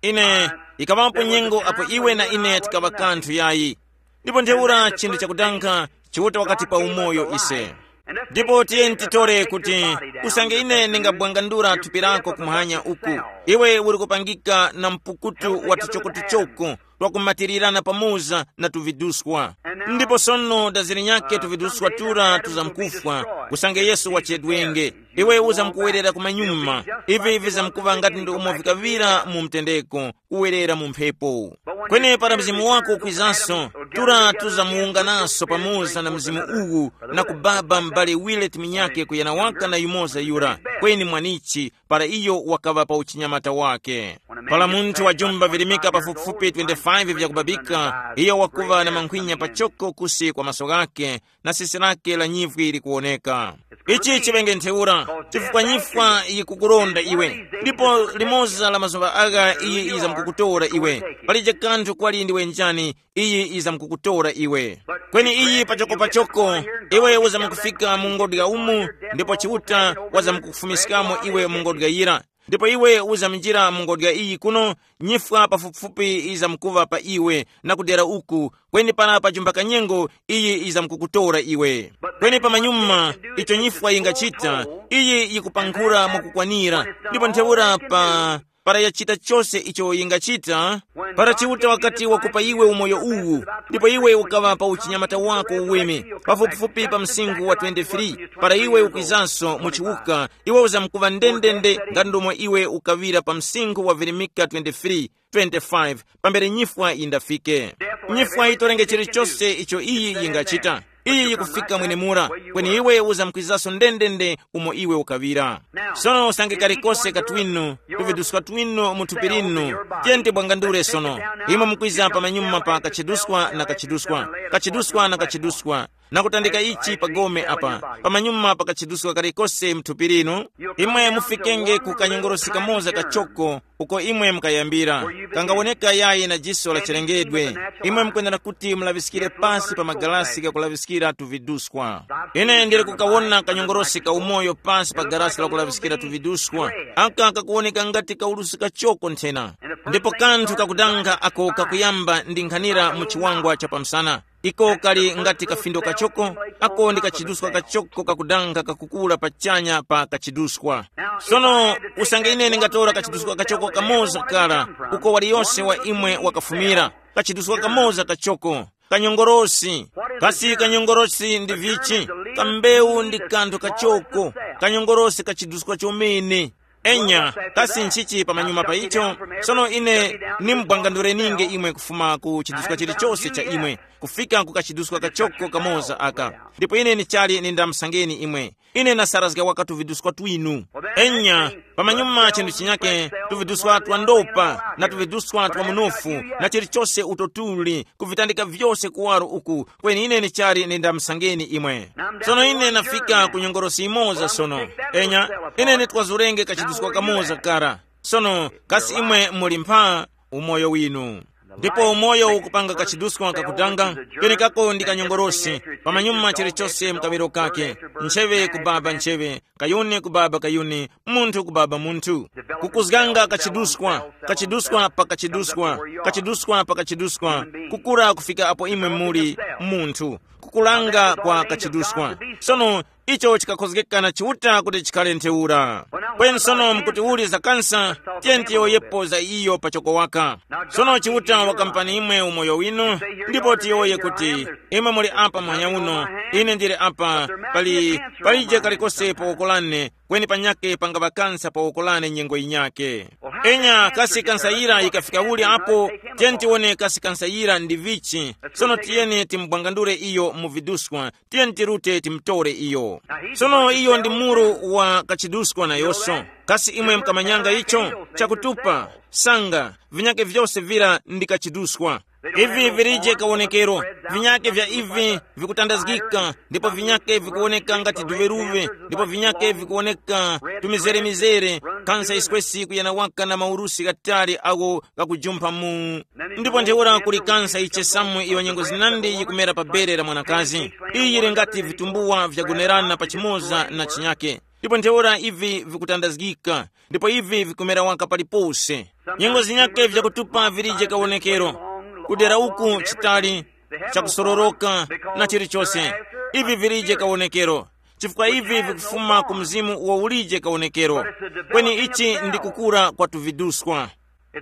ine, ikaŵapo nyengo apo iwe na ine tikaŵa kanthu yayi. Ndipo ntheura chinthu chakudankha, Chiuta wakati pa umoyo ise. Ndipo tiyeni titore kuti, usange ine ndingabwangandura thupi lako kumwanya uku, iwe uli kupangika na mpukutu wa tuchokotuchoko twakumatirirana pamoza na tuviduswa. Ndipo sono daziri nyakhe tuviduswa tura tuzamkufwa, usange Yesu wachedwenge. Iwe uzamkuwerera kumanyuma, ivi vizamkuŵa ngati ndi umo vikaŵira mu mtendeko, kuwerera mu mphepo. Kweni para mzimu wako ukwizanso, tura tuzamuwunganaso pamoza na mzimu uwu, na kubaba m'bale Willett minyakhe kuyana waka na yumoza yura, kweni mwanichi, para iyo wakaŵa pa uchinyamata wake. Para munthu wajumba virimika pafupifupi twenty-five vyakubabika, iyo wakuŵa na mankhwinya pachoko kusi kwa maso ghakhe, na sisi lake la nyivwi likuwoneka. Ichi chiŵenge ntheura, chifukwa nyifwa yikukuronda iwe, ndipo limoza la mazuŵa agha iyi yizamkukutora iwe. Palije kanthu kwali ndiwe njani, iyi yizamkukutora iwe. Kweni iyi pachokopachoko, iwe uzamkufika mu ngodya umu, ndipo Chiuta wazamkukufumiskamo iwe mu ngodya yira. Ndipo iwe uzaminjira mu ngodya iyi kuno, nyifwa pafupifupi izamkuŵa pa iwe, na kudera uku, kweni para pajumba kanyengo, iyi izamkukutora iwe. Kweni pamanyuma, icho nyifwa yingachita, iyi yikupankhura mwakukwanira. Ndipo ntheura pa para yachita chose icho yingachita, para Chiuta wakati wakupa iwe umoyo uwu, ndipo iwe ukaŵa pa uchinyamata wako uweme, pafupifupi pa msinkhu wa twenty-three, para iwe ukwizanso mu chiwuka, iwe uzamkuŵa ndendende ngati ndomwe iwe ukaŵira pa msinkhu wa virimika twenty-three, twenty-five, pambere nyifwa yindafike. Nyifwa yitorenge chilichose icho iyi yingachita. Iyi yikufika mwenemura, kweni iwe uzamkwizaso ndendende umo iwe ukaŵira. Sono usange kalikose katwinu, tuviduska twinu mu thupi linu, tiyeni tibwangandure sono. Imwe mukwiza pamanyuma pa kachiduskwa na kachiduskwa, kachiduskwa na kachiduskwa, na kutandika ichi pa gome apa, pamanyuma pa kachiduskwa kalikose mu thupi linu, imwe mufikenge ku kanyongorosi kamoza kachoko, uko imwe mukayambira, kangawoneka yayi na jiso la chilengedwe. Imwe mukwenera kuti mulaŵiskire pasi pa magalasi gakulaŵiskira tuviduswa. Ine ndili kukawona kanyongorosi ka umoyo pasi pa galasi lakulaŵiskira tuviduswa, aka kakuwoneka ngati kaulusi kachoko nthena. Ndipo kanthu kakudanga ako kakuyamba ndi nkhanira mu chiwangwa cha pamsana. Iko kali ngati kafindo kachoko, ako ndi kachiduswa kachoko kakudanga kakukula pachanya pa kachiduswa. Sono, usange ine ndingatora kachiduswa kachoko kamoza kara, uko waliyose wa imwe wakafumira, kachiduswa kamoza kachoko, kanyongorosi. Kasi kanyongorosi ndi vichi? Kambewu ndi kanthu kachoko. Kanyongorosi kachiduswa chomene. Enya, kasi nchichi pamanyuma pa icho? Sono ine nimbwangandureninge imwe kufuma ku chiduska chilichose cha imwe, kufika ku kachiduska kachoko kamoza aka. Ndipo ine nichali nindamsangeni imwe. Ine nasarazga waka tuviduska twinu. Enya, pamanyuma chinthu chinyake, tuviduska twa ndopa na tuviduska twa munofu, na chilichose uto tuli, kuvitandika vyose kuwaro uku, kweni ine nichali nindamsangeni imwe. Sono ine nafika ku nyongorosi imoza sono. Enya, ine nitwazurenge kachiduska kamoza kara. Sono, kasi imwe muli mpha umoyo winu? Ndipo umoyo ukupanga kachiduska kakutanga, kenekako ndi kanyongorosi, pamanyuma chilichose mkaŵiro kake, ncheŵe ku baba ncheŵe, kayuni ku baba kayuni, munthu ku baba munthu. Kukuzganga kachiduskwa, kachiduskwa pa kachiduskwa, kachiduskwa pa kachiduskwa, kukura kufika apo imwe muli munthu, kukulanga kwa kachiduskwa. Sono, icho chikakhozgeka na Chiuta kuti chikhale ntheura. Kweni sono mkuti uli za kansa, tiye tiyowoyepo za iyo pachoko waka. Sono Chiuta wakampani imwe umoyo winu, ndipo tiyowoye kuti, imwe muli apa muhanya uno, ine ndili apa, pali palije kalikose pa woko lane, kweni panyakhe pangaŵa kansa pa woko lane nyengo yinyakhe. Enya kasi kansa yira yikafika uli apo? Tiyeni tiwone kasi kansa yira ndi vichi. Sono tiyeni timubwangandule iyo mu viduskwa, tiyeni tirute timutore iyo. Sono iyo ndi muru wa kachiduskwa nayonso. Kasi imwe mkamanyanga icho? Chakutupa, sanga, vinyakhe vyose vira ndi kachiduskwa. Ivi virije kawonekero, vinyakhe vya ivi vikutandazgika, ndipo vinyakhe vikuwoneka ngati duveruve, ndipo vinyakhe vikuwoneka tumizere-mizere, kansa iskwesi kuyana waka na maurusi ghatali agho ghakujumpha mu. Ndipo ntheura kuli kansa ichesamu iyo nyengo zinandi yikumera pa bere la mwanakazi. Iyi yili ngati vitumbuwa vyagonerana pachimoza na chinyakhe. Ndipo ntheura ivi vikutandazgika, ndipo ivi vikumera waka palipose. Nyengo zinyakhe vyakutupa virije kawonekero. Kudera uku chitali, chakusororoka, na chilichose. Ivi virije kawonekero. Chifukwa ivi vikufuma ku mzimu uwo ulije kawonekero. Kweni ichi ndi kukura kwa tuviduskwa.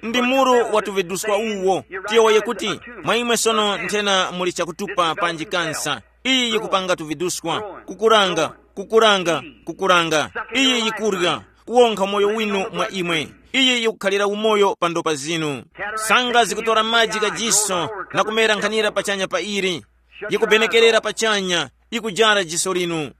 Ndi muru wa tuviduskwa uwo. Tiyowoye kuti, mwa imwe sono nthena muli chakutupa panji kansa. Iyi yikupanga tuviduskwa, kukuranga, kukuranga, kukuranga. Iyi yikurya, kuwonkha umoyo winu mwa imwe. Iyi yikukhalira umoyo pa ndopa zinu. Sanga zikutora maji gajiso na kumera nkhanira pachanya pa ili. Yikubenekerera pachanya, yikujara jiso linu.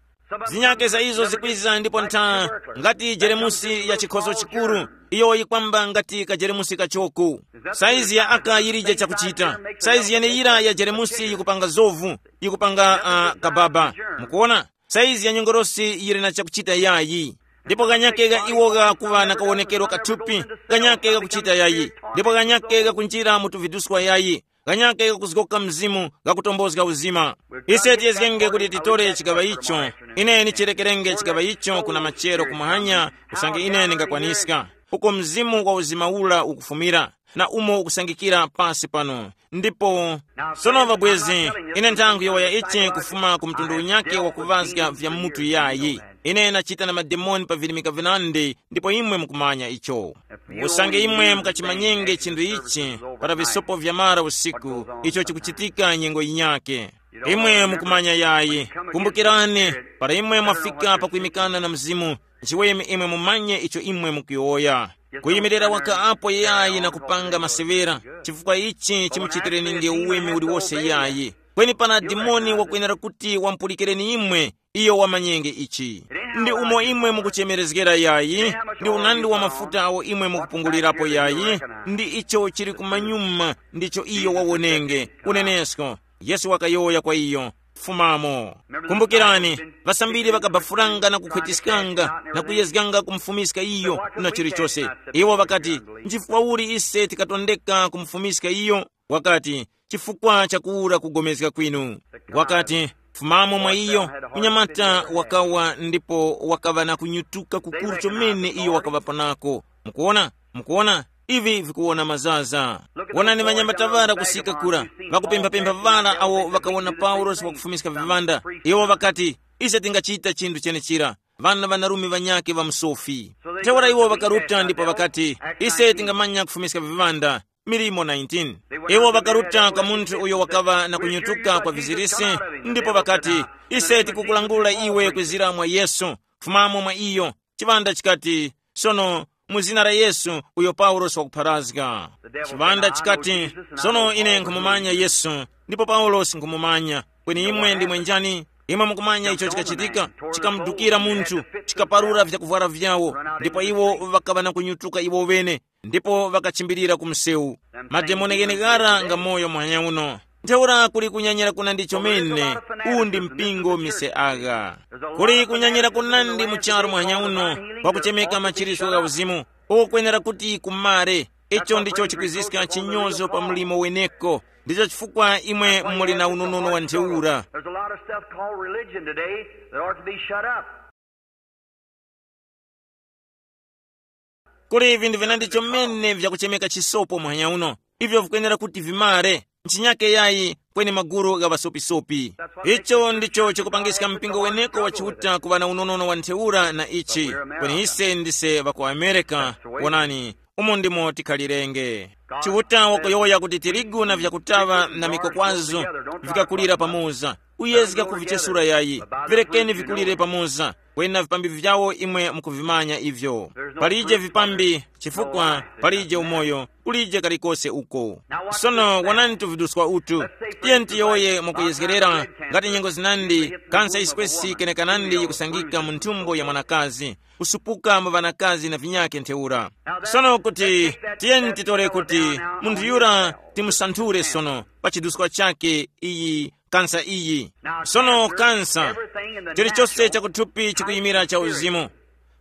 Zinyakhe za izo zikwiza ndipo ntha, ngati jeremusi ya chikhozo chikuru, iyo yikwamba ngati kajeremusi kachoko. Saizi ya aka yilije chakuchita. Saizi yeneyira ya jeremusi yikupanga zovu, yikupanga uh, kababa. Mukuona? Saizi ya nyongorosi yili na chakuchita yayi. Ndipo ganyake ga iwo gakuŵa na kawonekero kathupi, ganyake gakuchita yayi. Ndipo ganyake gakunjira mu tuviduskwa yayi. Kanyake kakuzgoka mzimu, kakutombozga uzima. Ise tiyezgenge kuti titore chikaŵa icho. Ine nichirekerenge chikaŵa icho kuna machero kumwanya, usange ine ndingakwaniska. Uko mzimu wa uzima ula ukufumira, na umo ukusangikira pasi pano. Ndipo sono, ŵabwezi, ine nthangu yowoya ichi kufuma ku mtundu unyake wa kuvazga vya mutu yayi. Ine nachita na mademoni pa virimika vinandi, ndipo imwe mukumanya icho. Usange imwe mukachimanyenge chinthu ichi, para visopo vya mara usiku, icho chikuchitika nyengo yinyake. Imwe mukumanya yayi. Kumbukirani, para imwe mwafika pakwimikana na Mzimu, chiweme imwe mumanye icho imwe mukuyowoya. Kuyimirira waka apo yayi na kupanga masevera, chifukwa ichi chimuchitireninge uweme uliwose yayi. Kweni pana dimoni wakwenera kuti wampulikireni imwe, iyo wamanyenge ichi. Ndi umo imwe mukuchemerezgera yayi, ndi unandi wa mafuta awo imwe mukupungulirapo yayi, ndi icho chili kumanyuma ndicho iyo wawonenge. Unenesko, Yesu wakayowoya kwa iyo, fumamo. Kumbukirani, ŵasambiri ŵakabafuranga na kukhwetiskanga na kuyezganga kumufumiska iyo na chilichose. Iwo ŵakati, nchifukwa uli ise tikatondeka kumufumiska iyo? Wakati, chifukwa cha kuwura kugomezga kwinu. Wakati, fumamo mwa iyo. Unyamata wakawa ndipo wakaŵa na kunyutuka kukuru chomene iyo wakaŵapo nako. Mukuona? Mukuona? Ivi vikuwona mazaza. Wonani ŵanyamataŵara kusika kura, ŵakupemphapempha ŵara awo ŵakawona Paulosi wakufumiska viŵanda. Iwo ŵakati, ise tingachita chinthu chenechira. Ŵana ŵanarume ŵanyakhe ŵa musofi. Ntheura iwo ŵakaruta ndipo ŵakati, ise tingamanya kufumiska viŵanda. Milimo nineteen. Iwo ŵakaruta kwa munthu uyo wakaŵa na kunyutuka kwa vizirisi, ndipo ŵakati, ise tikukulangula iwe kwizira mwa Yesu. Fumamo mwa iyo. Chiŵanda chikati, sono, mu zina la Yesu uyo Paulosi wakupharazga. Chiŵanda chikati, sono ine nkhumumanya Yesu, ndipo Paulosi nkhumumanya. Kweni imwe ndimwe njani? Imwe mukumanya icho chikachitika? Chikamudukira munthu, chikaparura vyakuvwara vyawo, ndipo iwo ŵakaŵa na kunyutuka iwo ŵene, ndipo ŵakachimbirira ku msewu. Mademoni gheneghara nga moyo muhanya uno. Ntheura kuli kunyanyira kunandi chomene. Uwu ndi mpingo mise agha. Kuli kunyanyira kunandi mu charu muhanya uno, kwakuchemeka machiritso gha uzimu. Uko kwenera kuti kumare. Icho ndicho chikwiziska chinyozo pa mlimo weneko. Ndicho chifukwa imwe muli na unonono wa ntheura. There's a lot of stuff called religion today that ought to be shut up. Kuli vinthu vinandi chomene vyakuchemeka chisopo muhanya uno, ivyo vikwenera kuti vimare. Nchinyake yayi, kweni magulu gha ŵasopisopi. Icho ndicho chikupangiska mpingo weneko wa Chiuta kuŵa na unonono wa ntheura na ichi. Kweni ise ndise ŵa ku Amerika. Wonani, umo ndimo tikhalirenge. Chiuta wakuyowoya kuti tirigu na vyakutaŵa na mikokwazo vikakulira pamoza. Uyezga kuvichesura yayi. Virekeni vikulire pamoza. Kweni na vipambi vyawo imwe mukuvimanya ivyo. Palije vipambi, chifukwa palije umoyo, kulije kalikose uko. Sono wonani tuviduskwa utu. Tiyeni tiyowoye mwakuyezgerera, ngati nyengo zinandi, kansa yiswesi kenekanandi yikusangika mu nthumbo ya mwanakazi, kusupuka mu ŵanakazi na vinyakhe ntheura. Sono kuti, tiyeni titore kuti munthu yura timusanthule sono pa chiduskwa chakhe iyi kansa iyi. Sono kansa, chilichose chakuthupi chikuyimira cha uzimu.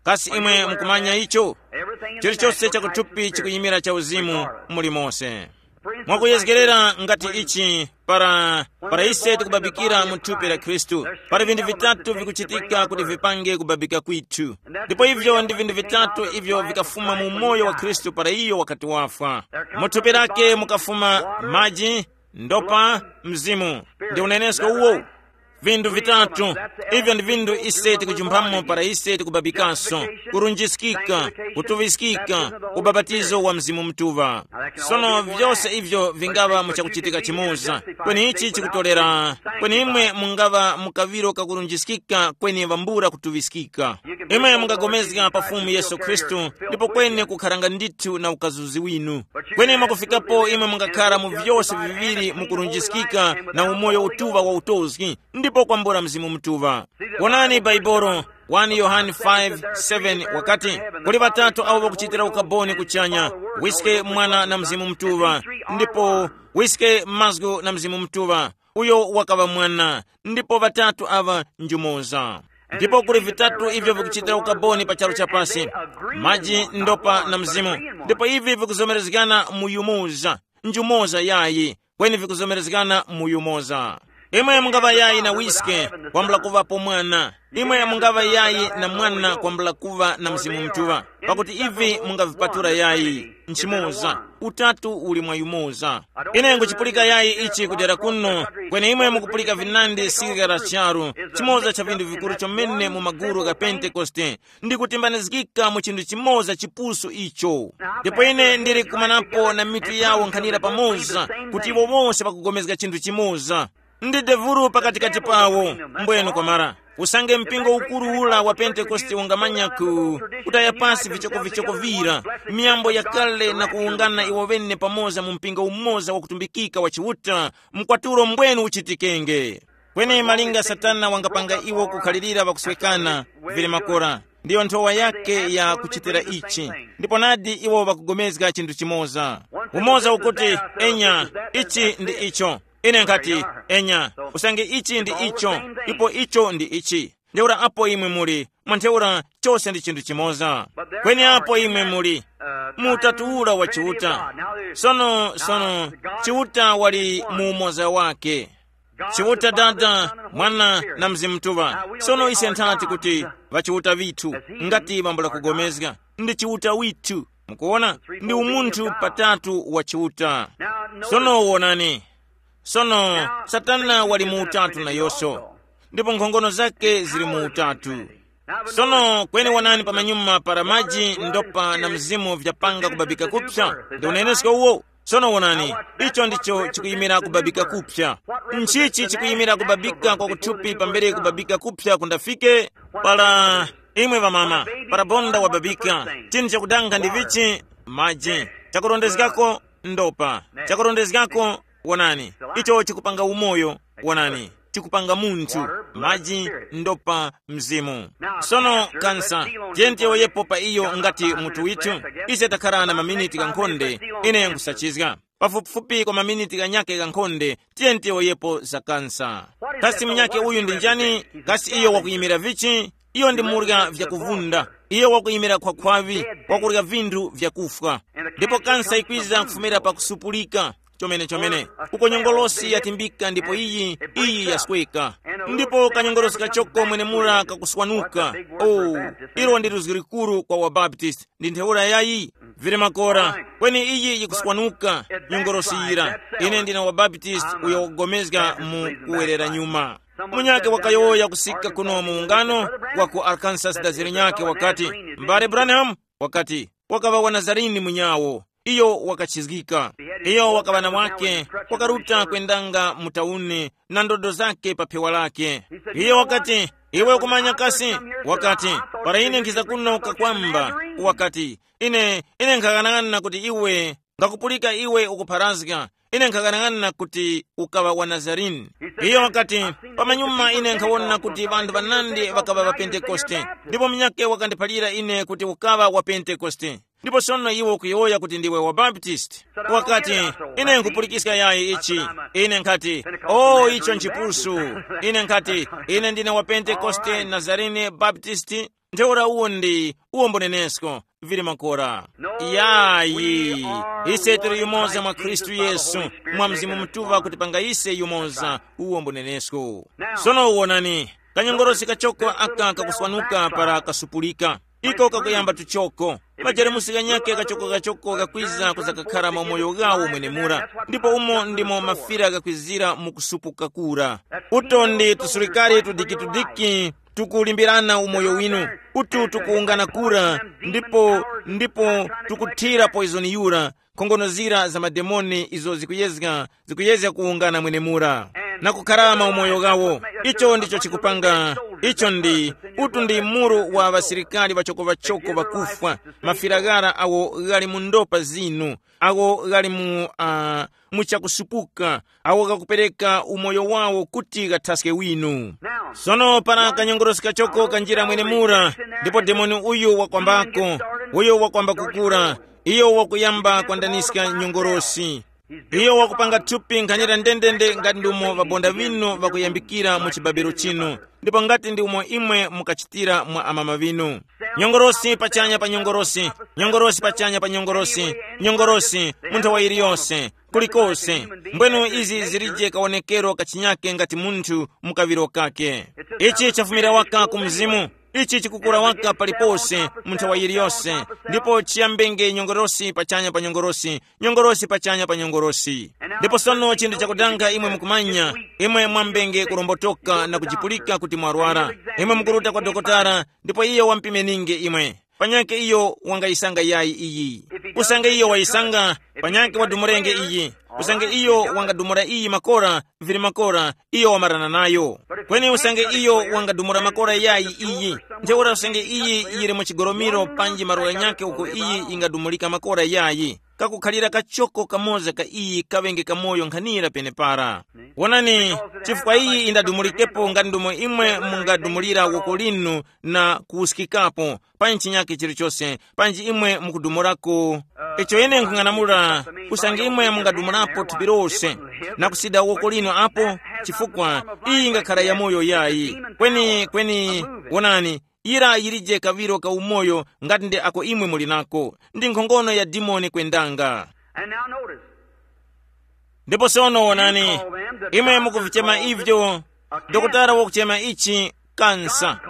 Kasi imwe mukumanya icho? Chilichose chakuthupi chikuyimira cha uzimu muli mose. Mwakuyezgerera ngati ichi, para para ise tikubabikira mu thupi la Khristu, pali vinthu vitatu vikuchitika kuti vipange kubabika kwithu. Ndipo ivyo ndi vinthu vitatu ivyo vikafuma mu moyo wa Khristu para iyo wakati wafwa. Mu thupi lake mukafuma maji, ndopa, mzimu. Ndi unenesko uwo. Vinthu vitatu, ivyo ndi vinthu ise tikujumpamo para ise tikubabikaso: kurunjiskika, kutuŵiskika, ubapatizo wa Mzimu Mutuŵa. Sono vyose ivyo vingaŵa mu chakuchitika chimoza, kweni ichi chikutolera, kweni imwe mungaŵa mu kaŵiro kakurunjiskika kweni ŵambula kutuŵiskika. Imwe mungagomezga pa Fumu Yesu Khristu, ndipo kweni kukharanga ndithu na ukazuzi winu. Kweni mwakufikapo imwe mungakhara mu vyose viŵiri mu kurunjiskika na umoyo utuŵa wa utozgi, ndipo kwambula Mzimu Mutuŵa. Wonani Baibolo, wani Yohane five seven wakati, kuli ŵatatu awo ŵakuchitira ukaboni kuchanya, wiske, Mwana na Mzimu Mutuŵa, ndipo wiske, mazgu na Mzimu Mutuŵa. Uyo wakaŵa Mwana, ndipo ŵatatu aŵa njumoza. Ndipo kuli vitatu ivyo vikuchitira ukaboni pa charu cha pasi: maji, ndopa na mzimu. Ndipo ivi vikuzomerezgana mu yumoza, njumoza yayi. kweni vikuzomerezgana mu yumoza. Imwe mungaŵa yayi na wiske, kwambula kuŵapo mwana. Imwe mungaŵa yayi na mwana, kwambula kuŵa na Mzimu Mutuŵa. Pakuti ivi mungavipatula yayi nchimoza. Utatu uli mwa yumoza. Ine nguchipulika yayi ichi kudera kuno, kweni imwe mukupulika vinandi sirika la charu. Chimoza cha vinthu vikuru chomene mu maguru gha Pentekoste, ndi kutimbanizgika mu chinthu chimoza chipusu icho. Ndipo ine ndili kumanapo na mitu yawo nkhanira pamoza, kuti iwo wonse pakugomezga chinthu chimoza. Ndi devuru pakatikati pawo. Mbwenu kwamara, usange mpingo ukuru ula wa Pentekoste ungamanya ku kutaya pasi vichokovichoko vira, miyambo yakale na kuwungana iwo ŵene pamoza mu mpingo umoza wakutumbikika wa Chiuta, mkwatulo mbwenu uchitikenge. Kweni malinga Satana wangapanga iwo kukhalirira pakuswekana, vili makora, ndiyo nthowa yake ya kuchitira ichi. Ndipo nadi iwo ŵakugomezga chinthu chimoza. Umoza ukuti, enya, ichi ndi icho. Ine nkhati, enya, usange ichi ndi icho, ipo icho ndi ichi. Ntheura apo imwe muli, mwa ntheura chose ndi chinthu chimoza. Kweni apo imwe muli, mu utatu ura wa Chiuta. Sono, sono, Chiuta wali mu umoza wake. Chiuta Dada, Mwana na Mzimu Mutuŵa. Sono ise nthati kuti ŵachiuta vithu, ngati bambo lakugomezga, ndi Chiuta withu. Mukuona, ndi umunthu patatu wa Chiuta. Sono wonani. Sono Satana wali mu utatu nayonso, ndipo nkhongono zake zili mu utatu. Sono kweni wonani pamanyuma para maji, ndopa na mzimu vyapanga kubabika kupsa, ndi unenesko uwo. Sono wonani, icho ndicho chikuyimira kubabika kupsa. Nchichi chikuyimira kubabika kwa kuthupi pambere kubabika kupsa kundafike? Para imwe ŵamama, para bonda wababika, chinthu chakudanga ndi vichi? Maji. Chakurondezgako, ndopa. Chakurondezgako, wonani, icho chikupanga umoyo. Wonani, chikupanga munthu, maji, ndopa, mzimu. Sono kansa, tiyeni tiyowoyepo pa iyo ngati mutu withu. Ise takhala na maminiti ghankhonde, ine nkhusachizga. Pafupifupi kwa maminiti ghanyakhe ghankhonde, tiyeni tiyowoyepo za kansa. Kasi munyakhe uyu ndi njani? Kasi iyo wakuyimira vichi? Iyo ndi murya vyakuvunda. Iyo wakuyimira khwakhwaŵi, wakurya vinthu vyakufwa. Ndipo kansa ikwiza kufumira pa kusupulika. Chomene chomene, uko nyongolosi yatimbika ndipo iyi iyi yasweka. Ndipo kanyongolosi kachoko mwenemura kakuswanuka. Oh, ilo ndi luzgi likuru kwa wabaptist, ndi ntheura yayi. Vili makora, kweni iyi yikuswanuka. Nyongolosi yira, ine ndine wabaptist uyo wakugomezga mu kuwerera nyuma. Munyake wakayowoya kusika kuno mu ungano wa ku Arkansas, daziri nyake wakati, mbale Branham, wakati, wakaŵa wa Nazarini munyawo. Iyo wakachizgika. Iyo wakaŵa na mwake, wakaruta kwendanga mu tauni na ndodo zake pa phewa lake. Iyo wakati, iwe ukumanya kasi? Wakati, para ine nkhiza kuno kakwamba, wakati, ine ine nkhaghanag'ana kuti iwe ngakupulika iwe ukupharazga. Ine nkhaghanag'ana kuti ukaŵa wa Nazarene. Iyo wakati, pamanyuma ine nkhawona kuti ŵanthu ŵanandi ŵakaŵa ŵa Pentekoste, ndipo munyakhe wakandiphalira ine kuti ukaŵa wa Pentekoste. Ndipo sono iwe ukuyowoya kuti ndiwe wa Baptist. Wakati, ine nkhupulikiska yayi ichi. Ine nkhati, o, icho nchipusu. Ine nkhati, ine ndine wa Pentekoste, Nazarene, Baptist. Ntheura uwo ndi uwo mbunenesko. Vili makora. Yayi. Ise tili yumoza mwa Khristu Yesu, mwa Mzimu Mutuŵa kutipanga ise yumoza. Uwo mbunenesko. Sono wonani, kanyongorosi kachoko aka kakuswanuka para kasupulika. Iko kakuyamba tuchoko. Majeremusi ghanyakhe kachoko-kachoko kakwiza kuzakakhara mu moyo ghawo mwenemura. Ndipo umo ndimo mafira ghakwizira mu kusupuka kura. Uto ndi tusulikari tudikitudiki tukulimbirana umoyo winu. Utu tukuwungana kura, ndipo ndipo tukuthira poizoni yura, nkhongono zira za mademoni izo zikuyezga, zikuyezga kuwungana mwenemura na kukharama umoyo wawo. Icho ndicho chikupanga. Icho ndi utu ndi muru wa ŵasilikari ŵachoko-ŵachoko ŵakufwa, mafiraghara awo ghali mu ndopa zinu, awo ghali mu uh, muchakusupuka, awo ghakupereka umoyo wawo kuti ghathaske winu. Sono para kanyongorosi kachoko kanjira mwenemura, ndipo demoni uyu wakwambako, uyo wakwamba kukura, iyo wakuyamba kwandaniska nyongorosi. Iyo wakupanga thupi nkhanira ndendende ngati ndi umo ŵabonda ŵinu ŵakuyambikira mu chibabero chinu, ndipo ngati ndi umo imwe mukachitira mwa amama ŵinu. Nyongorosi pachanya pa nyongorosi, nyongorosi pachanya pa nyongorosi, nyongorosi mu nthawa iliyonse. kulikose. Mbwenu izi zilije kawonekero kachinyake ngati munthu mukaŵiro kake. Ichi chafumira waka ku mzimu. Ichi chikukura waka palipose mu nthawa yiliyose. Ndipo chiyambenge nyongorosi pachanya pa nyongorosi, nyongorosi pachanya pa nyongorosi. Ndipo sono chinthu chakudanga imwe mukumanya, imwe mwambenge kurombotoka na kujipulika kuti mwarwara. Imwe mukuruta kwa dokotala, ndipo iyo wampimeninge imwe. Panyake iyo wangayisanga yayi iyi. Usange iyo wayisanga, panyake wadumurenge iyi. Usange iyo wangadumura iyi makora, vili makora, iyo wamarana nayo. Kweni usange iyo wangadumura makora yayi iyi, ntheura usange iyi yili mu chigolomiro panji marola nyakhe uko iyi ingadumulika makora yayi, kakukhalira kachoko kamoza ka iyi kaŵenge kamoyo nkhanira penepara. Wonani, chifukwa iyi indadumulikepo nga ndomo imwe mungadumulira woko linu na kuwuskikapo, pa chinyake chilichose, panji imwe mukudumurako. Icho ine nkhung'anamula, usange imwe mungadumulapo thupi lose na kusida woko linu apo, chifukwa iyi ingakhala yamoyo yayi. Kweni kweni, wonani, yira yilije kaŵiro ka umoyo ngati nde ako imwe muli nako, ndi nkhongono ya dimoni kwendanga. And now notice, ndipo sono wonani, imwe mukuvichema ivyo, dokotala wakuchema ichi kansa,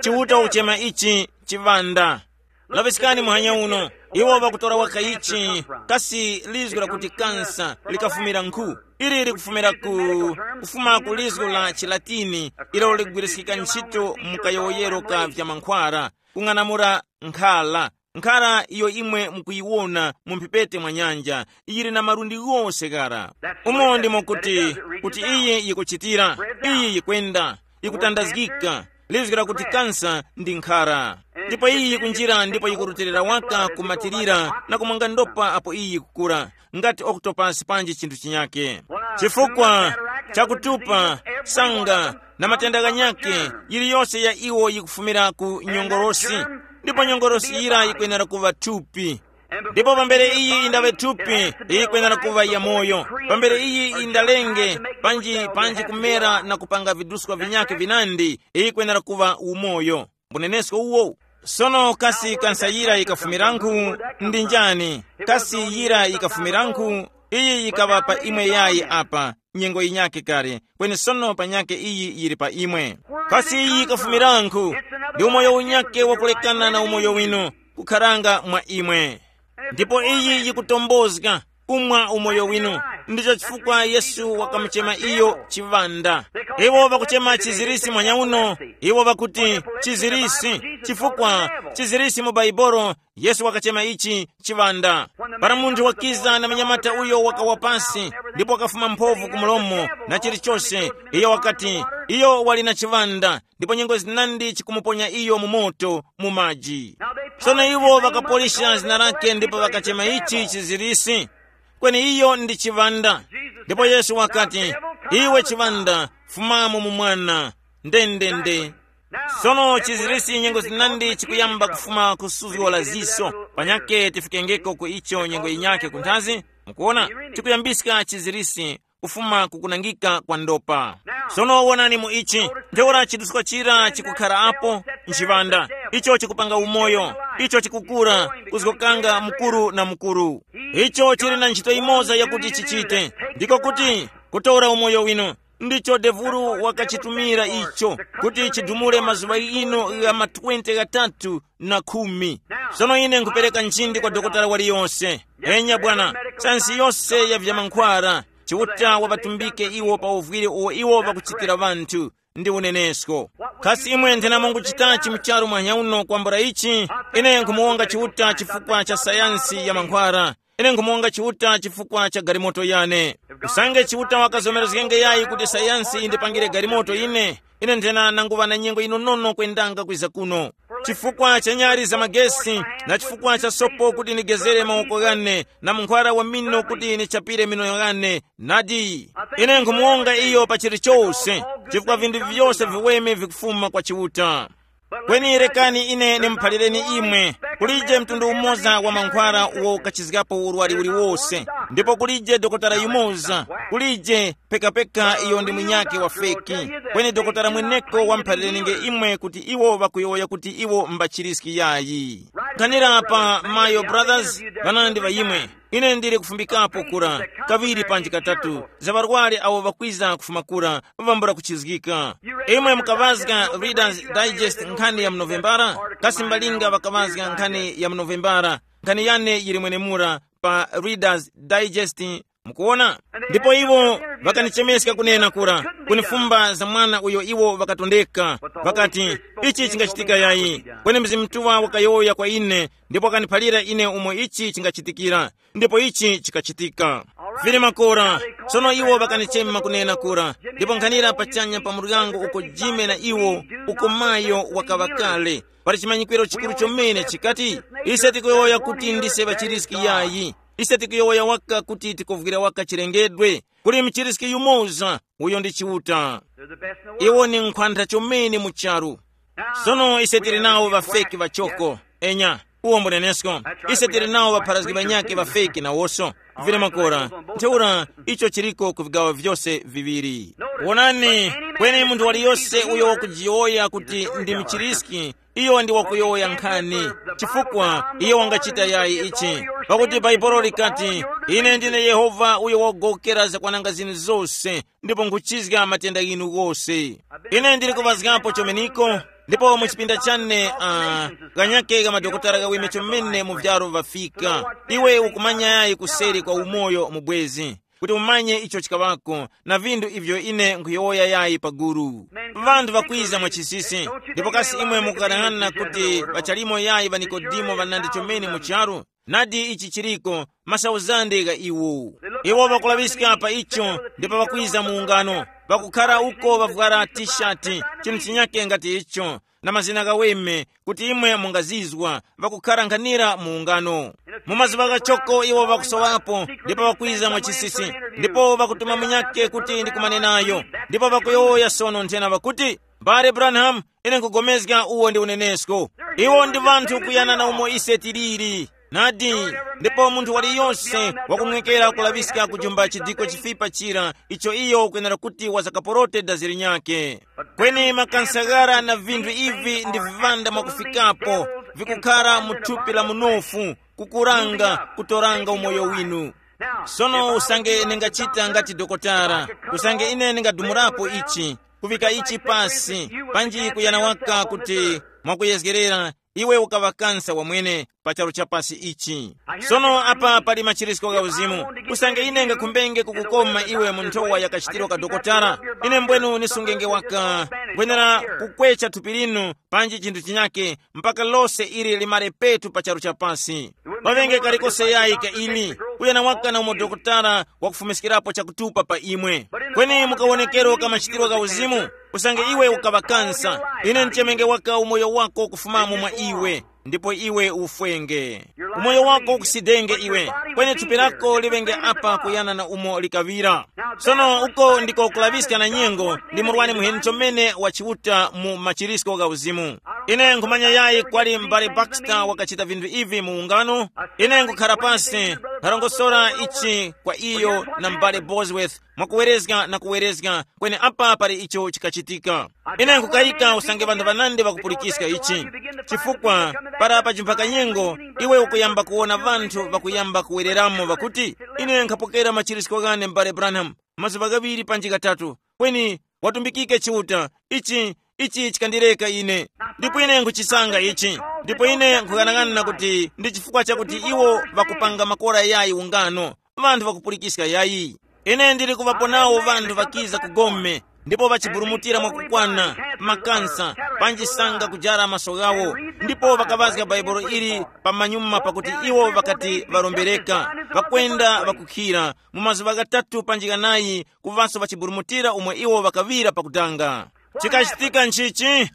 chiuta wakuchema ichi chivanda. Laŵiskani muhanya uno, iwo ŵakutora waka ichi, kasi lizgu lakuti kansa likafumira nkhu? Ili likufumira ku, kufuma ku lizgu la chilatini, ilo ligwiriskika ntchito mu kayowoyero ka vyamankhwara, kung'anamula nkhala. Nkhala iyo imwe mukuyiwona mu mphepete mwa nyanja, yili na malundi ghose ghara. Umo ndimo kuti, kuti iyi yikuchitira, iyi yikwenda, yikutandazgika. Lizgira kuti kansa ndi nkhara. Ndipo iyi yikunjira ndipo yikurutilira waka kumatirira na kumwanga ndopa apo iyi yikukura, ngati octopus panji chinthu chinyake. Chifukwa chakutupa, sanga, na matenda ghanyakhe, yiliyose ya iwo yikufumira ku nyongolosi, ndipo nyongolosi yira yikwenera kuva thupi. Ndipo pambere iyi indaŵe thupi, iyi yikwenera kuva yamoyo. Pambere iyi indalenge, panji panji kumera na kupanga viduska vinyakhe vinandi, iyi yikwenera kuva umoyo. Mbunenesko uwo. Sono kasi kansa yira yikafumiranku? Ndi njani? Kasi yira yikafumiranku? Iyi yikaŵa pa imwe yayi apa, nyengo yinyakhe kale, kweni sono panyakhe iyi yili pa imwe. Kasi iyi yikafumiranku? Ndi umoyo unyakhe wakulekana na umoyo winu, kukharanga mwa imwe. Ndipo iyi yikutombozga, kumwa umoyo winu. Ndicho chifukwa Yesu wakamuchema iyo chiŵanda. Iwo ŵakuchema chizirisi mwanyauno, iwo ŵakuti chizirisi, chifukwa chizirisi mu Baibolo, Yesu wakachema ichi chiŵanda. Para munthu wakiza na munyamata uyo wakawa pasi, ndipo wakafuma mphovu ku mulomo na chilichose, iyo wakati, iyo wali na chiŵanda, ndipo nyengo zinandi chikumuponya iyo mu moto, mu maji. Sono iwo ŵakapolisha zina lake ndipo ŵakachema ichi chizirisi, kweni iyo ndi chiŵanda. Ndipo Yesu wakati, iwe chiŵanda, fumamo mu mwana. Ndendende. Sono chizirisi nyengo zinandi chikuyamba kufuma ku suzgo la ziso, panyake tifikengeko ku icho nyengo yinyakhe kunthazi. Mukuona, tikuyambiska chizirisi kufuma kukunangika kwa ndopa. Sono wonani mu ichi, ntheura chiduska chira chikukhara apo, nchiŵanda, icho chikupanga umoyo, icho chikukura, kuzgokanga mukuru na mukuru. Icho chili na ntchito imoza yakuti chichite, ndiko kuti, kutora umoyo winu. Ndicho devulu wakachitumira icho, kuti chidumule mazuŵa ino gha ma twenty ghatatu na khumi. Sono ine nkupereka nchindi kwa dokotala waliyonse. Enya bwana, sayansi yose ya vyamankhwara, Chiuta wapatumbike iwo pa uvwire uwo iwo pakuchitira ŵanthu, ndi unenesko. Kasi imwe nthenamo nguchitachi mucharu mwanya uno kwambula ichi? Ine nkumuwonga Chiuta chifukwa cha sayansi ya mankhwara. Ine nkumuwonga Chiuta chifukwa cha galimoto yane. Usange Chiuta wakazomerezgenge yayi kuti sayansi yindipangire galimoto ine, ine nthena nanguŵa na nyengo yinonono kwendanga kwiza kuno. Chifukwa cha nyali za magesi, na chifukwa cha sopo kuti nigezere mawoko ghane, na munkhwara wa mino kuti nichapire mino ghane, nadi, ine nkhumuwonga iyo pa chilichose, chifukwa vinthu vyose viweme vikufuma kwa Chiuta. Kweni rekani ine nimuphalireni imwe, kulije mtundu umoza wa mankhwara uwo ukachizgapo urwari uliwose, ndipo kulije dokotala yumoza, kulije pekapeka iyo ndi munyakhe wa feki. Kweni dokotala mweneko wamuphalirenge imwe kuti iwo ŵakuyowoya kuti iwo mbachiriski yayi. Nkhanira pa Mayo Brothers, ŵanandi ŵa imwe. Ine ndili kufumbikapo kura, kaŵiri panji katatu, za ŵarwari awo ŵakwiza kufuma kura, vambula kuchizgika. Imwe mukaŵazga Reader's Digest nkhani ya mu Novembara? Kasi mbalinga ŵakaŵazga nkhani ya mu Novembara? Nkhani yane yili mwenemura pa Reader's Digest, mukuona? Ndipo iwo ŵakanichemeska kunena kura, kunifumba za mwana uyo iwo ŵakatondeka, ŵakati, ichi chingachitika yayi? Kweni Mzimu Mutuŵa wakayowoya kwa ine, ndipo wakaniphalira ine umo ichi chingachitikira. Ndipo ichi chikachitika. Vili makora. Sono iwo ŵakanichema kunena kura, ndipo nkhanira pachanya pa muryango uko Jime na iwo, uko Mayo wakaŵa kale. Pali chimanyikwiro chikuru chomene chikati, ise tikuyowoya kuti ndise ŵachiriski yayi. Ise tikuyowoya waka kuti tikuvwira waka chilengedwe. Kuli mchiriski yumoza, uyo ndi Chiuta. Iwo ni nkhwantha chomene mu charu. Sono ise tili nawo ŵafeki ŵachoko. Enya, uwo mbunenesko. Ise tili nawo ŵapharazgi ŵanyakhe ŵafeki nawoso. Vile makora, ntheura icho chiliko ku vigawo vyose viŵiri. Wonani, kweni munthu waliyose uyo wakujiyowoya kuti ndi mchiriski, iyo ndi wakuyowoya nkhani, chifukwa iyo wangachita yayi ichi. Pakuti Bhaibuli likati, ine ndine Yehova uyo wagowokera zakwananga zinu zose, ndipo nkhuchizga matenda ghinu ghose. Ine ndili kuŵazgapo chomeniko, ndipo mu chipinda chane, uh, kanyake ka madokotala kaweme chomene mu vyaro vafika. Iwe ukumanya yayi kuseri kwa umoyo mubwezi, kuti umanye icho chikaŵako, na vinthu ivyo ine nkhuyowoya yayi paguru. Vanthu ŵakwiza mwa chisisi, ndipo kasi imwe mukukanang'ana kuti ŵachalimo yayi ŵa Nikodimo ŵanandi chomene mu charu? Nadi ichi chiriko, masauzande gha iwo. Iwo ŵakulaŵiska pa icho, ndipo ŵakwiza mu ungano, ŵakukhara uko ŵavwara tishati, chinthu chinyake ngati icho, na mazina ghaweme, kuti imwe mungazizwa, ŵakukhara nkhanira mu ungano. Mu mazuŵa ghachoko iwo ŵakusowapo, ndipo ŵakwiza mwa chisisi, ndipo ŵakutuma munyakhe kuti ndikumane nayo, ndipo ŵakuyowoya sono nthena ŵakuti, mbale Branham, ine nkugomezga uwo ndi unenesko. Iwo ndi ŵanthu kuyana na umo ise tiliri. Nadi, ndipo munthu waliyose wakunwekera kulaŵiska kujumba chidiko chifipa chira icho iyo ukwenera kuti wazakaporote dazi linyakhe. Kweni makansa ghara na vinthu ivi ndi vivanda mwakufikapo, vikukhara mu thupi la munofu, kukuranga, kutoranga umoyo winu. Sono usange ningachita ngati dokotara, usange ine ningadumurapo ichi, kuvika ichi pasi, panji kuyana waka kuti mwakuyezgerera, iwe ukaŵa kansa wamwene pa charu cha pasi ichi. Sono apa pali machirisko gha uzimu. Usange ine ngakhumbenge kukukoma iwe mu nthowa ya kachitiro ka dokotala, ine mbwenu nisungenge waka, ngwenera kukwecha thupi linu panji chinthu chinyake, mpaka lose ili limare petu pa charu cha pasi. Paŵenge kalikose yayi ka ili, uyo na waka na umo dokotala wakufumiskirapo chakutupa pa imwe. Kweni mukawonekero ka machitiro gha uzimu, usange iwe ukaŵa kansa, ine nchemenge waka umoyo wako kufumamo mwa iwe, ndipo iwe ufwenge. Umoyo wako ukusidenge iwe, kweni thupi lako liŵenge apa kuyana na umo likaŵira. Sono uko ndiko kulaŵiska na nyengo ndi murwani muheni chomene wa Chiuta mu machirisko gha uzimu. Ine nkhumanya yayi kwali m'bale Baxter wakachita vinthu ivi mu ungano. Ine nkhukhara pasi, nkharongosora ichi kwa iyo na m'bale Bosworth, mwakuwerezga na kuwerezga, kweni apa pali icho chikachitika. Ine nkukayika usange ŵanthu ŵanandi ŵakupulikiska ichi. Chifukwa para pajimphaka nyengo, iwe ukuyamba kuwona ŵanthu ŵakuyamba kuwereramo ŵakuti, ine nkhapokera machirisko ghane m'bale Branham, mazuŵa ghaŵiri panji ghatatu, kweni watumbikike Chiuta, ichi, ichi chikandileka ine. Ndipo ine nkhuchisanga ichi, ndipo ine nkhughanag'ana kuti ndi chifukwa chakuti iwo ŵakupanga makora yayi ungano, ŵanthu ŵakupulikiska yayi. Ine ndili kuŵapo nawo ŵanthu ŵakiza ku gome, ndipo ŵachiburumutira mwakukwana, makansa, panji sanga kujara maso ghawo, ndipo ŵakaŵazga Bhaibuli ili pamanyuma pakuti iwo ŵakati ŵarombereka, ŵakwenda ŵakukhira, mu mazuŵa ghatatu panji ghanayi kuŵaso ŵachiburumutira umo iwo ŵakaŵira pakutanga. Chikachitika nchichi?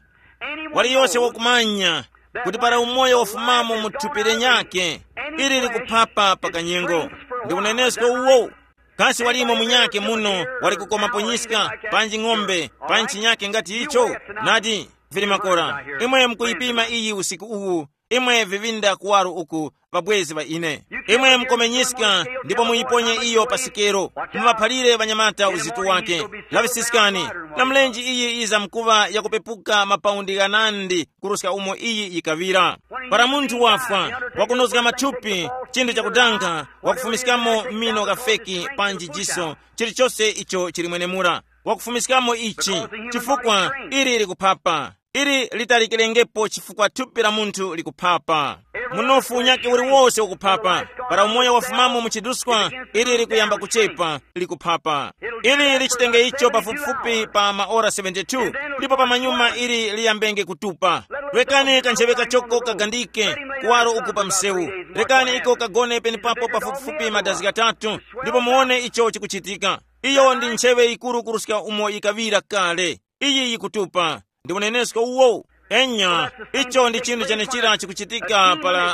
Waliyose wakumanya kuti para umoyo wafumamo mu thupi lenyakhe, ili likuphapa pa kanyengo. Ndi unenesko uwo. Kasi walimo munyakhe muno wali kukomapo nyiska, panji ng'ombe, panji chinyakhe ngati icho? Nadi, vili makora. Imwe mukuyipima iyi usiku uwu, Imwe vivinda kuwaro uku, ŵabwezi ŵa ine. Imwe mukomenyiska ndipo muyiponye iyo pa sikero. Muŵaphalire ŵanyamata uzitu wake. Laŵisiskani, na mlenje iyi yizamkuŵa yakupepuka mapaundi ghanandi kuruska umo iyi yikaŵira. Para munthu wafwa, wakunozga mathupi, chinthu chakudanga, wakufumiskamo mino ghafeki panji jiso, chilichose icho chili mwenemura, wakufumiskamo ichi, chifukwa ili likuphapa. Ili litalikirengepo chifukwa thupi la munthu likuphapa. Munofu unyakhe uliwose ukuphapa. Para umoyo wafumamo mu chiduskwa, ili likuyamba kuchepa, likuphapa. Ili lichitenge icho pafupifupi pa maora seventy-two, ndipo pamanyuma ili liyambenge kutupa. Rekani kancheŵe kachoko kagandike kuwaro uku pa msewu. Rekani iko kagone penepapo pafupifupi madazi ghatatu, ndipo muwone icho chikuchitika. Iyo ndi ntcheŵe yikuru kuruska umo yikaŵira kale. Iyi yikutupa. Ndi unenesko uwo. Enya, icho ndi chinthu chenechira chikuchitika para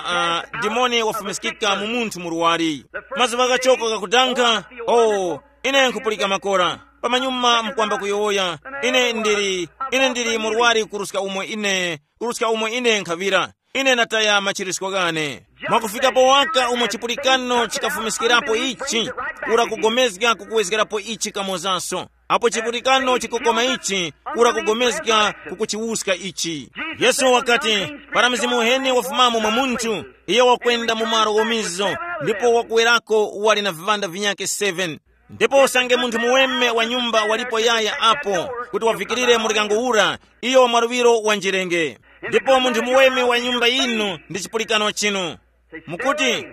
uh, dimoni wafumiskika mu munthu murwari. Mazuva ghachoko gakudanga. Oh, ine nkhupulika makora. Pamanyuma mkwamba kuyowoya, ine ndili, ine ndili murwari kuruska umo ine, kuruska umo ine nkhavira. Ine nataya machirisko ghane. Mwakufikapo waka umo chipulikano chikafumiskirapo ichi, ura kugomezga kukuwezgerapo ichi kamozaso. Apo chipulikano chikukoma ichi, ura kugomezga kukuchiwuska ichi. Yesu wakati, para mzimu uheni wafumamo mwa munthu, iyo wakwenda mu malo ghomizo, ndipo wakuwerako wali na viŵanda vinyakhe seven. Ndipo usange munthu muweme wa nyumba walipo yaya apo, kuti wavikirire muryango ura, iyo mwaluŵiro wanjerenge. Ndipo munthu muweme wa nyumba yinu ndi chipulikano chinu. Mukuti,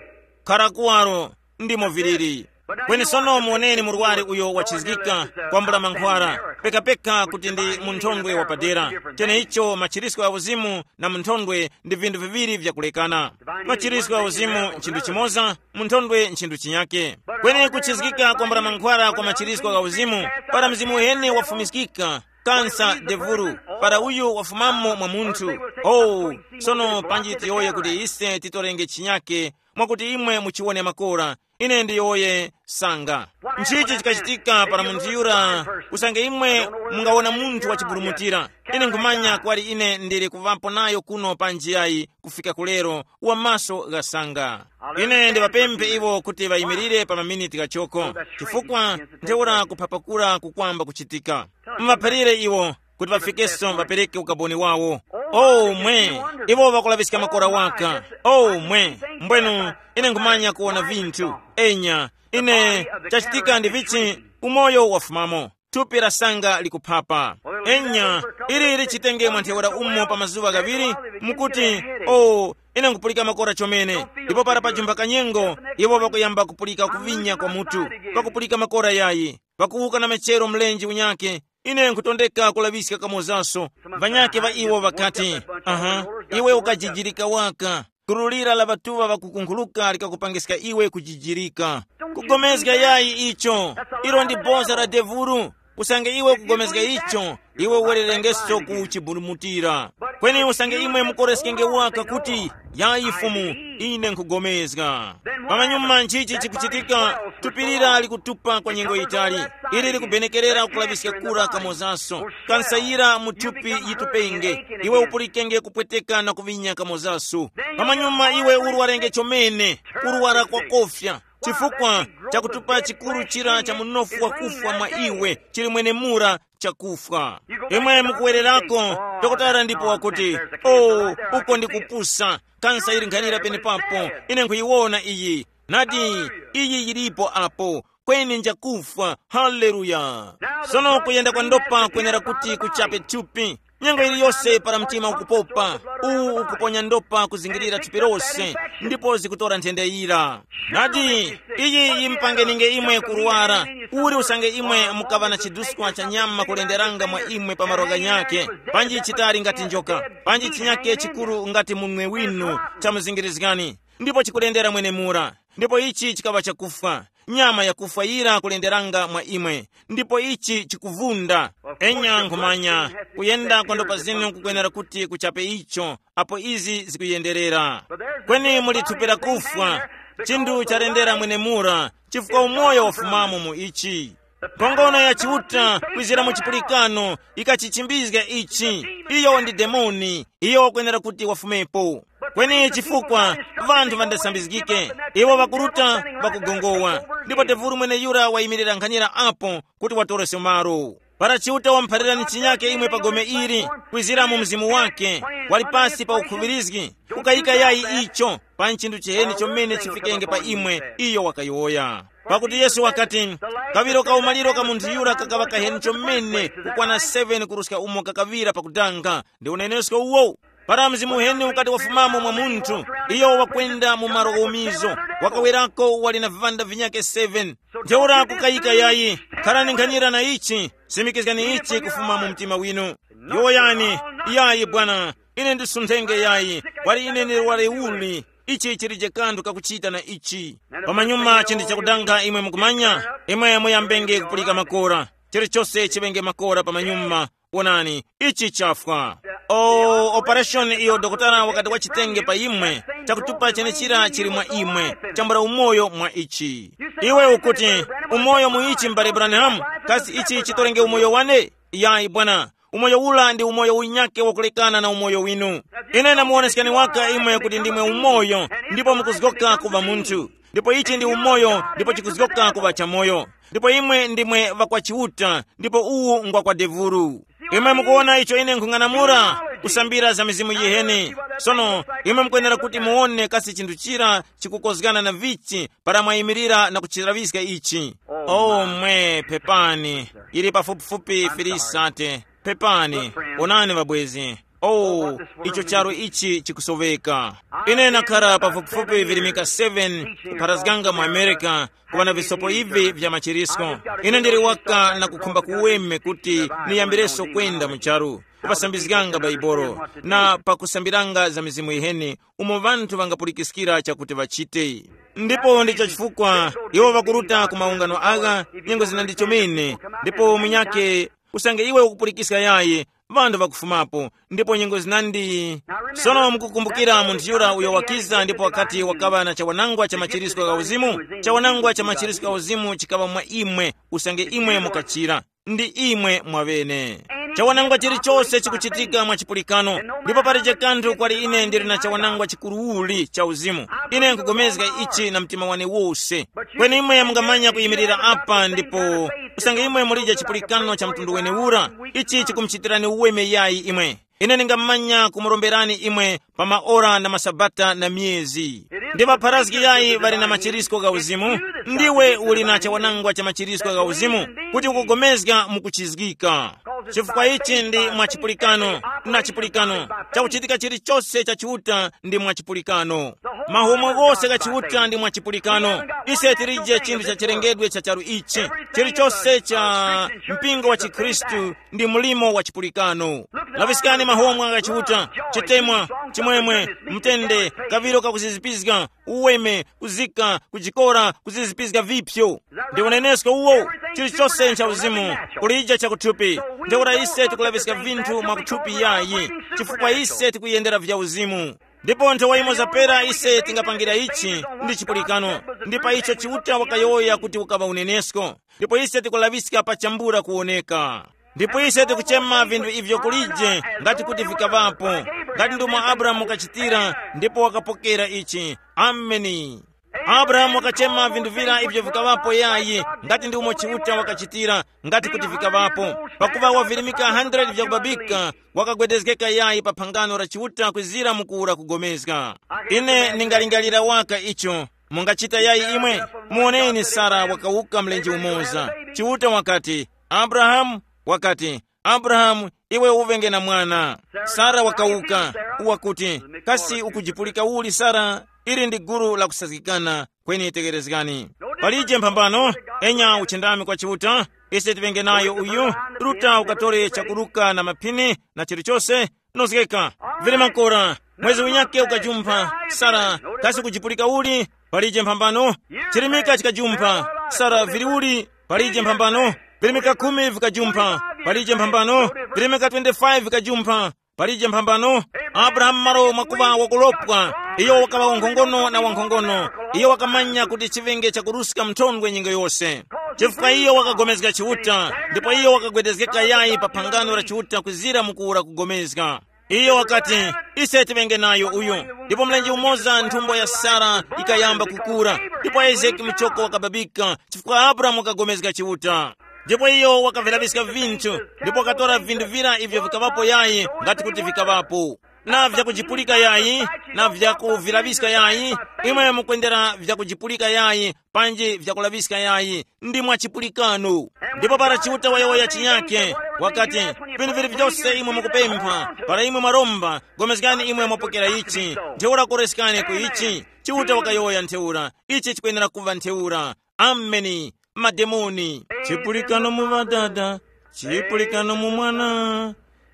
khara kuwaro, ndimo viliri. Kweni sono muoneni murwari uyo wachizgika kwambula mankhwara, pekapeka kuti ndi munthondwe wapadera. Cheneicho machirisko ya uzimu na munthondwe ndi vinthu viŵiri vyakulekana. Machirisko ya uzimu nchinthu chimoza, munthondwe nchinthu chinyake. Kweni kuchizgika kwambula mankhwara kwa machirisko ya uzimu, para mzimu uheni wafumiskika, kansa devuru, para uyu wafumamo mwa munthu. Oh, sono panji tiyowoye kuti ise titorenge chinyake, mwakuti imwe muchiwone makora, ine ndiyowoye sanga. Nchichi chikachitika para munthu yura? Usange imwe mungawona munthu wachiburumutira, ine nkhumanya kwali ine ndili kuŵapo nayo kuno pa njiyayi kufika kulero, wa maso ghasanga. Ine ndiŵapemphe iwo kuti ŵayimirire pa maminiti ghachoko, chifukwa ntheura kuphapakura kukwamba kuchitika. Muvaphalire iwo kuti ŵafikeso ŵapereke ukaboni wawo. Oh mwe, iwo ŵakulaŵiska makora waka. Oh mwe, mbwenu ine nkhumanya kuwona vinthu. Enya, ine, chachitika ndi vichi? Umoyo wafumamo, thupi la sanga likuphapa. Enya, ili lichitenge mwa ntheura umo pa mazuŵa ghaŵiri, mukuti, oh, ine nkupulika makora chomene. Ndipo para pajumba kanyengo, iwo ŵakuyamba kupulika kuvinya kwa mutu, pakupulika makora yayi, pakuwuka na mechero mlenje unyake. Ine nkutondeka kulaŵiska kamozaso. Ŵanyakhe ŵa iwo ŵakati, aha, iwe ukajijirika waka. Gulu lira la ŵatuŵa ŵakukunkhuluka likakupangiska iwe kujijirika. Kugomezga yayi icho, ilo ndi boza la devulu. Usange iwe kugomezga icho, iwe uwererengeso ku chiburumutira. Kweni usange imwe mukoreskenge waka kuti, yayi Fumu, ine nkhugomezga. Pamanyuma nchichi chikuchitika? Tupirira likutupa kwa nyengo yitali. Ili likubenekerera kulaŵiska kura kamozaso. Kansayira mu thupi yitupenge. Iwe upulikenge kupweteka na kuvinya kamozaso. Pamanyuma iwe urwarenge chomene, kurwara kwa kofya, chifukwa chakutupa chikuru chira cha munofu wakufwa mwa iwe chili mwenemura chakufwa. Imwe mukuwererako, dokotala ndipo wakuti, oh, uko ndi kupusa, kansa ili nkhanira penepapo. Ine nkhuyiwona iyi. Nadi, iyi yilipo apo, kweni njakufwa. Haleluya. Sono kuyenda kwa ndopa kwenera kuti kuchape thupi. Nyengo iliyose para mtima ukupopa, uwu ukuponya ndopa kuzingirira thupi lose, ndipo zikutora nthendeyira. Nadi, iyi yimpangeninge imwe kurwara. Uli usange imwe mukaŵa na chiduskwa cha nyama kulenderanga mwa imwe pa malo ghanyakhe, panji chitali ngati njoka, panji chinyakhe chikuru ngati munwe winu, chamuzingirizgani, ndipo chikulendera mwenemura. Ndipo ichi chikaŵa chakufwa, nyama yakufwa yira kulenderanga mwa imwe, ndipo ichi chikuvunda. Enya nkhumanya, kuyenda kwa ndopa zinu kukwenera kuti kuchape icho, apo izi zikuyenderera. Kweni muli thupi la kufwa, chinthu chalendera mwenemura, chifukwa umoyo wafumamo mu ichi. Nkhongono ya Chiuta kwizira mu chipulikano ikachichimbizga ichi. Iyo ndi demoni, iyo wakwenera kuti wafumepo. Kweni chifukwa ŵanthu ŵandasambizgike, iwo ŵakuruta, ŵakugongowa, ndipo tevuru mweneyura wayimirira nkhanyira apo kuti watorese malo. Para Chiuta wamuphalirani chinyake imwe pa gome ili, kwizira mu mzimu wake, wali pasi pa ukhuŵirizgi, kukayika yayi icho pa nchinthu chiheni chomene chifikenge pa imwe, iyo wakayowoya. Pakuti Yesu wakati, kaŵiro ka umaliro ka munthu yura kakaŵa kaheni chomene kukwana seven kuruska umo kakaŵira pakudanga. Ndi unenesko uwo. Para mzimu uheni ukati wafumamo mwa munthu, iyo wakwenda mu malo ghomizo, wakawerako wali na vivanda vinyake seven. Ntheura kukayika yayi, kharani nkhanyira na ichi, simikizgani ichi kufuma mu mtima winu. Yowoyani, yayi bwana, ine ndisunthenge yayi, wali ine ndili waleuli, ichi chilije kanthu kakuchita na ichi. Pamanyuma chinthu chakudanga imwe mukumanya, imwe muyambenge kupulika makora, chilichose chiŵenge makora pamanyuma. Wonani, ichi chafwa. O operation iyo dokotala wakati wachitenge pa imwe, chakutupa chenechira chili mwa imwe, chambula umoyo mwa ichi. Iwe ukuti, umoyo mu ichi m'bale Branham? Kasi ichi chitorenge umoyo wane? Yayi bwana. Umoyo ula ndi umoyo unyake wakulekana na umoyo winu. Ine namuwonesekani waka imwe kuti ndimwe umoyo, ndipo mukuzgoka kuva munthu. Ndipo ichi ndi umoyo ndipo chikuzgoka kuva chamoyo. Ndipo imwe ndimwe ŵakwa Chiuta, ndipo uwu ngwa kwa devulu. Imwe mukuwona icho ine nkhung'anamula, kusambira za mizimu yiheni. Sono imwe mukwenera kuti muwone kasi chinthu chira chikukozgana na vichi para mwayimirira na kuchilaŵiska ichi. O mwe, pepani, ili pafupifupi filisate. Pepani, onani ŵabwezi. Oh, icho charu ichi chikusoveka. Ine nakhara pafupifupi virimika seven kupharazganga mu America, kuŵa na visopo ivi vya machirisko. Ine ndili waka na kukhumba kuweme kuti niyambireso kwenda mu charu, kupasambizganga Baibolo na pakusambiranga za mizimu yiheni umo ŵanthu ŵangapulikiskira chakuti ŵachite. Ndipo ndicho chifukwa iwo ŵakuruta ku maungano agha nyengo zina ndichomene, ndipo munyake usange iwe ukupulikiska yayi, ŵanthu ŵakufumapo, ndipo nyengo zinandi. Sono mukukumbukira munthu yura uyo wakiza ndipo wakati wakaŵa na chawanangwa cha machirisiko gha uzimu? Chawanangwa cha machirisiko gha uzimu chikaŵa mwa imwe, usange imwe mukachira. Ndi imwe mwaŵene. Chawanangwa chilichose chikuchitika mwa chipulikano, ndipo palije kanthu kwali ine ndili na chawanangwa chikuruuli cha uzimu. Ine nkugomezga ichi na mtima wane wose. Kweni imwe mungamanya kuyimirira apa ndipo, usange imwe mulije chipulikano cha mtundu wenewura, ichi chikumuchitirani uweme yayi imwe. Ine ndingamanya kumuromberani imwe pa maora na masabata na myezi. Ndi ŵapharazgi yayi ŵali na machirisko gha uzimu? Ndiwe uli na chawanangwa cha machirisko gha uzimu, kuti ukugomezga mukuchizgika. Chifukwa ichi ndi mwa chipulikano, na chipulikano, chakuchitika chilichose cha Chiuta ndi mwa chipulikano. Mahomwe ghose gha Chiuta ndi mwa chipulikano. Ise tilije chinthu cha chilengedwe cha charu ichi. Chilichose cha mpingo wa chikhristu ndi mlimo wa chipulikano. Laviskani mahomwe gha Chiuta, chitemwa, chimwemwe, mtende, kaviro kakuzizipizga, uweme, kuzika, kujikora, kuzizipizga vipyo. Ndi unenesko uwo, chilichose ncha uzimu, kulija chakuthupi. Ntheura ise tikulaviska vinthu mwakuthupi yayi, chifukwa ise tikuyendera vya uzimu. Ndipo nthawi imo zapera ise tingapangira ichi ndi chipulikano, ndi pa icho Chiuta wakayowoya kuti ukaŵa unenesko. Ndipo ise tikulaŵiska pa chambula kuwoneka. Ndipo ise tikuchema vinthu ivyo kulije ngati kuti vikaŵapo, ngati ndomwe Abrahamu wakachitira ndipo wakapokera ichi. Ameni. Abrahamu wakachema vinthu vira ivyo vikaŵapo yayi, ngati ndi umo Chiuta wakachitira, ngati kuti vikaŵapo. Pakuva wavirimika hundred vyakubabika, wakagwedezgeka yayi pa phangano la Chiuta kwizira mukuwura kugomezga. Ine ndingalingalira waka icho. Mungachita yayi imwe? Muwoneni Sara wakawuka mlenje umoza. Chiuta wakati, Abrahamu, wakati, Abrahamu, iwe uŵenge na mwana. Sara wakawuka, wakuti, kasi ukujipulika uli Sara? Ili ndi gulu la kusazgikana. Kweni tekerezgani. Palije mphambano, enya uchindami kwa Chiuta, ise tiŵenge nayo uyu, ruta ukatore chakuruka na maphini na chilichose, nozgeka. Vili makora, mwezi unyake ukajumpha, Sara, kasi kujipulika uli? Palije mphambano. Chirimika chikajumpha, Sara, vili uli? Palije mphambano. Virimika khumi vikajumpha, palije mphambano. Virimika twenty-five vikajumpha, palije mphambano. Abrahamu malo mwakuva wakulopwa, iyo wakaŵa wankhongono na wankhongono. Iyo wakamanya kuti chiŵenge chakuruska mthondwe nyengo yose. Chifukwa iyo wakagomezga Chiuta, ndipo iyo wakagwedezgeka yayi pa phangano la Chiuta kwizira mukuwura kugomezga. Iyo wakati, ise tiŵenge nayo uyu. Ndipo mlenje umoza nthumbo ya Sara yikayamba kukura, ndipo Isaki muchoko wakababika, chifukwa Abrahamu wakagomezga Chiuta. Ndipo iyo wakavilaŵiska vinthu, ndipo wakatora vinthu vira ivyo vikaŵapo yayi, ngati kuti vikaŵapo, na vyakujipulika yayi, na vyakuvilaŵiska yayi. Imwe mukwendera vyakujipulika yayi, panji vyakulaŵiska yayi, ndi mwa chipulikano. Ndipo para Chiuta wayowoya chinyake, wakati, vinthu vili vyose imwe mukupempha, para imwe mwaromba, gomezgani imwe mwapokera ichi, ntheura koreskani ku ichi. Chiuta wakayowoya ntheura, ichi chikwenera kuva ntheura. Ameni. Mademoni. Chipulikano mu Ŵadada, chipulikano mu Mwana,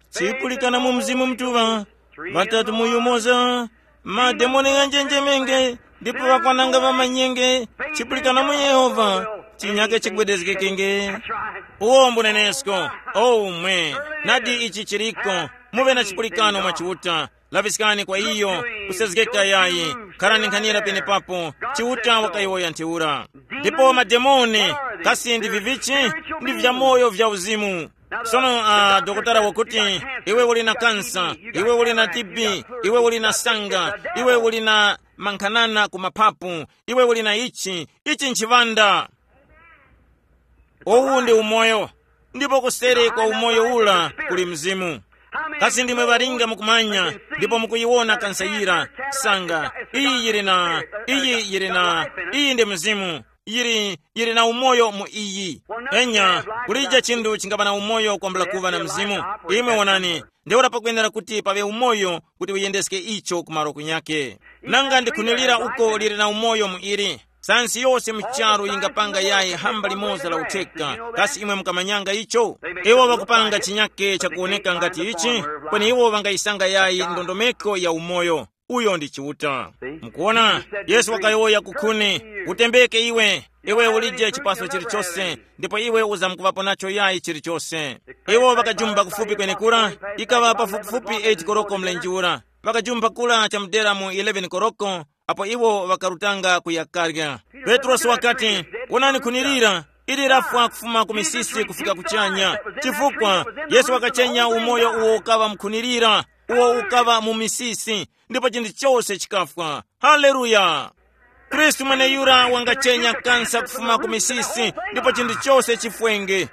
chipulikano mu Mzimu Mutuŵa, ŵatatu mu yumoza. Mademoni ghanjenjemenge, ndipo ŵakwananga ŵamanyenge. Chipulikano mu Yehova, chinyake chigwedezgekenge. Uwo mbunenesko. Omwe. Nadi ichi chiriko. Muŵe na chipulikano mwa Chiuta. Laŵiskani kwa iyo, kusezgeka yayi. Kharani nkhanira penepapo. Chiuta wakayowoya ntheura. Ndipo mademoni, kasi ndi vivichi? Ndi vyamoyo vya uzimu. Sono uh, dokotala wakuti, iwe uli na kansa, iwe uli na T B, iwe uli na sanga, iwe uli na mankhanana ku mapapu, iwe uli na ichi, ichi nchiŵanda. Uwu ndi umoyo, ndipo kuseri kwa umoyo ula kuli mzimu. Kasi ndimwe ŵalinga mukumanya, ndipo mukuyiwona kansa yira, sanga, iyi yili na, iyi yili na, iyi ndi mzimu, yili, yili na umoyo mu iyi. Enya, kulija chinthu chingapa na umoyo kwambula kuva na mzimu. Imwe wonani, ntheura pakwenera kuti paŵe umoyo kuti uyendeske icho ku malo kunyake. Nanga ndikhunilira uko lili na umoyo mu ili. Sayansi yose mu charu yingapanga yayi hamba limoza la utheka. Kasi imwe mukamanyanga icho? Iwo ŵakupanga chinyake chakuwoneka ngati ichi, kweni iwo ŵangayisanga yayi ndondomeko ya umoyo. Uyo ndi Chiuta. Mukuona, Yesu wakayowoya kukhuni, utembeke iwe, iwe ulije chipaso chilichose, ndipo iwe uzamkuŵapo nacho yayi chilichose. Iwo ŵakajumba kufupi kwenekura, ikaŵa pafupifupi eight koroko mlenje ura. Ŵakajumba kura chamudera mu eleven koroko, apo iwo ŵakarutanga kuya karya. Petrosi wakati, wonani khuni lira, ili lafwa kufuma ku misisi kufika kuchanya. Chifukwa Yesu wakachenya umoyo uwo ukaŵa mkhunilira, uwo ukaŵa mu misisi, ndipo chinthu chose chikafwa. Haleluya! Khristu mweneyura wangachenya kansa kufuma ku misisi, ndipo chinthu chose chifwenge.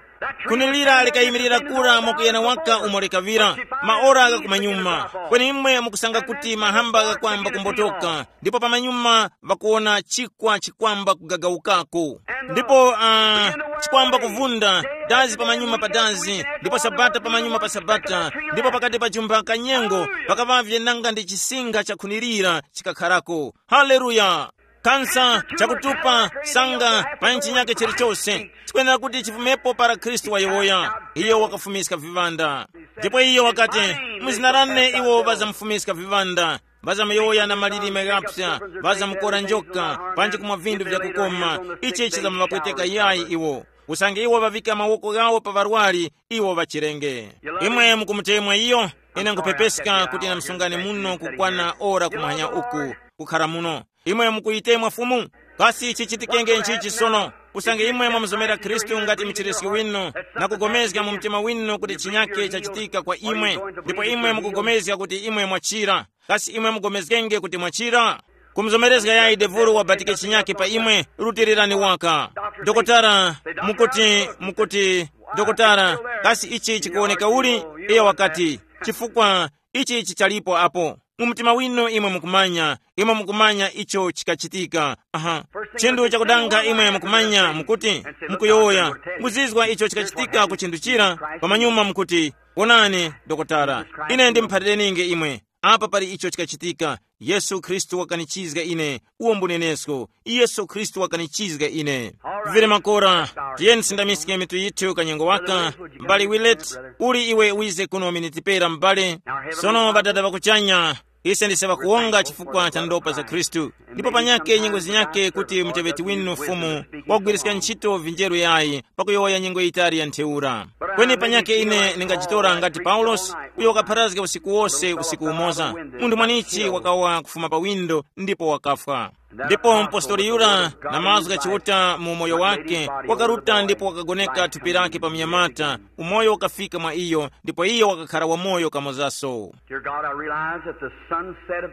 Khuni lira likayimirira kura mwakuyana waka umo likaŵira, maora ghakumanyuma, kweni imwe mukusanga kuti mahamba ghakwamba kumbotoka, ndipo pamanyuma ŵakuwona chikwa chikwamba kugagawukako. Ndipo uh, chikwamba kuvunda, dazi pamanyuma pa dazi, ndipo sabata pamanyuma pa sabata, ndipo pakati pa chumba kanyengo pakaŵavye nanga ndi chisinga chakhunirira chikakharako. Haleluya! Kansa, chakutupa, sanga, pa nchi nyake chilichose chikwenera kuti chifumepo para Khristu wayowoya. Iyo wakafumiska viŵanda. Ndipo iyo wakati, mu zina lane iwo ŵazamufumiska viŵanda, ŵazamuyowoya na malilime ghapsa, ŵazamukora njoka, panji kumwa vinthu vyakukoma. Ichi chizamuvapweteka yayi iwo. Usange iwo ŵavika mawoko ghawo pa ŵarwari, iwo ŵachirenge. Imwe mukumutemwa iyo? Ine nkhupepeska kuti namsungane muno kukwana ora kumwanya uku, kukhara muno. Imwe mukuyitemwa Fumu? Kasi chichitikenge nchichi sono? Usange imwe mwamuzomera Khristu ngati mchiriski winu, na kugomezga mu mtima winu kuti chinyake chachitika kwa imwe, ndipo imwe mukugomezga kuti imwe mwachira, kasi imwe mugomezgenge kuti mwachira? Kumuzomerezga yayi devuru wabatike chinyake pa imwe, rutilirani waka. Dokotara, mukuti, mukuti, dokotara, kasi ichi chikuwoneka uli? Iye wakati, chifukwa ichi chichalipo apo. Mu mtima winu imwe mukumanya, imwe mukumanya icho chikachitika. Aha. Chinthu chakudanga imwe mukumanya, mukuti, mukuyowoya, muzizwa icho chikachitika ku chinthu chira, pamanyuma mukuti, wonani, dokotara, ine ndimuphatirininge imwe. Apa pali icho chikachitika. Yesu Khristu wakanichizga ine. Uwo mbunenesko. Yesu Khristu wakanichizga ine. Vili makora, tiyeni tisindamiske mitu yithu kanyengo waka. M'bale Willet, uli iwe wize kuno miniti pera m'bale. Sono Ŵadada ŵakuchanya, ise ndise ŵakuwonga chifukwa cha ndopa za Khristu. Ndipo panyake nyengo zinyake kuti muteŵeti winu Fumu wagwiriska ntchito vinjeru yayi pakuyowoya nyengo yitali ya ntheura. Kweni panyake ine ndingajitora ngati Paulosi, uyo wakapharazga usiku wose usiku umoza. Munthu mwanichi wakawa kufuma pa windo ndipo wakafwa. Ndipo mpostoli yura na mazgu gha Chiuta mu umoyo wake, wakaruta ndipo wakagoneka thupi lake pa mnyamata, umoyo ukafika mwa iyo, ndipo iyo wakakhara wamoyo kamozaso. Dear God, I realize that the sunset of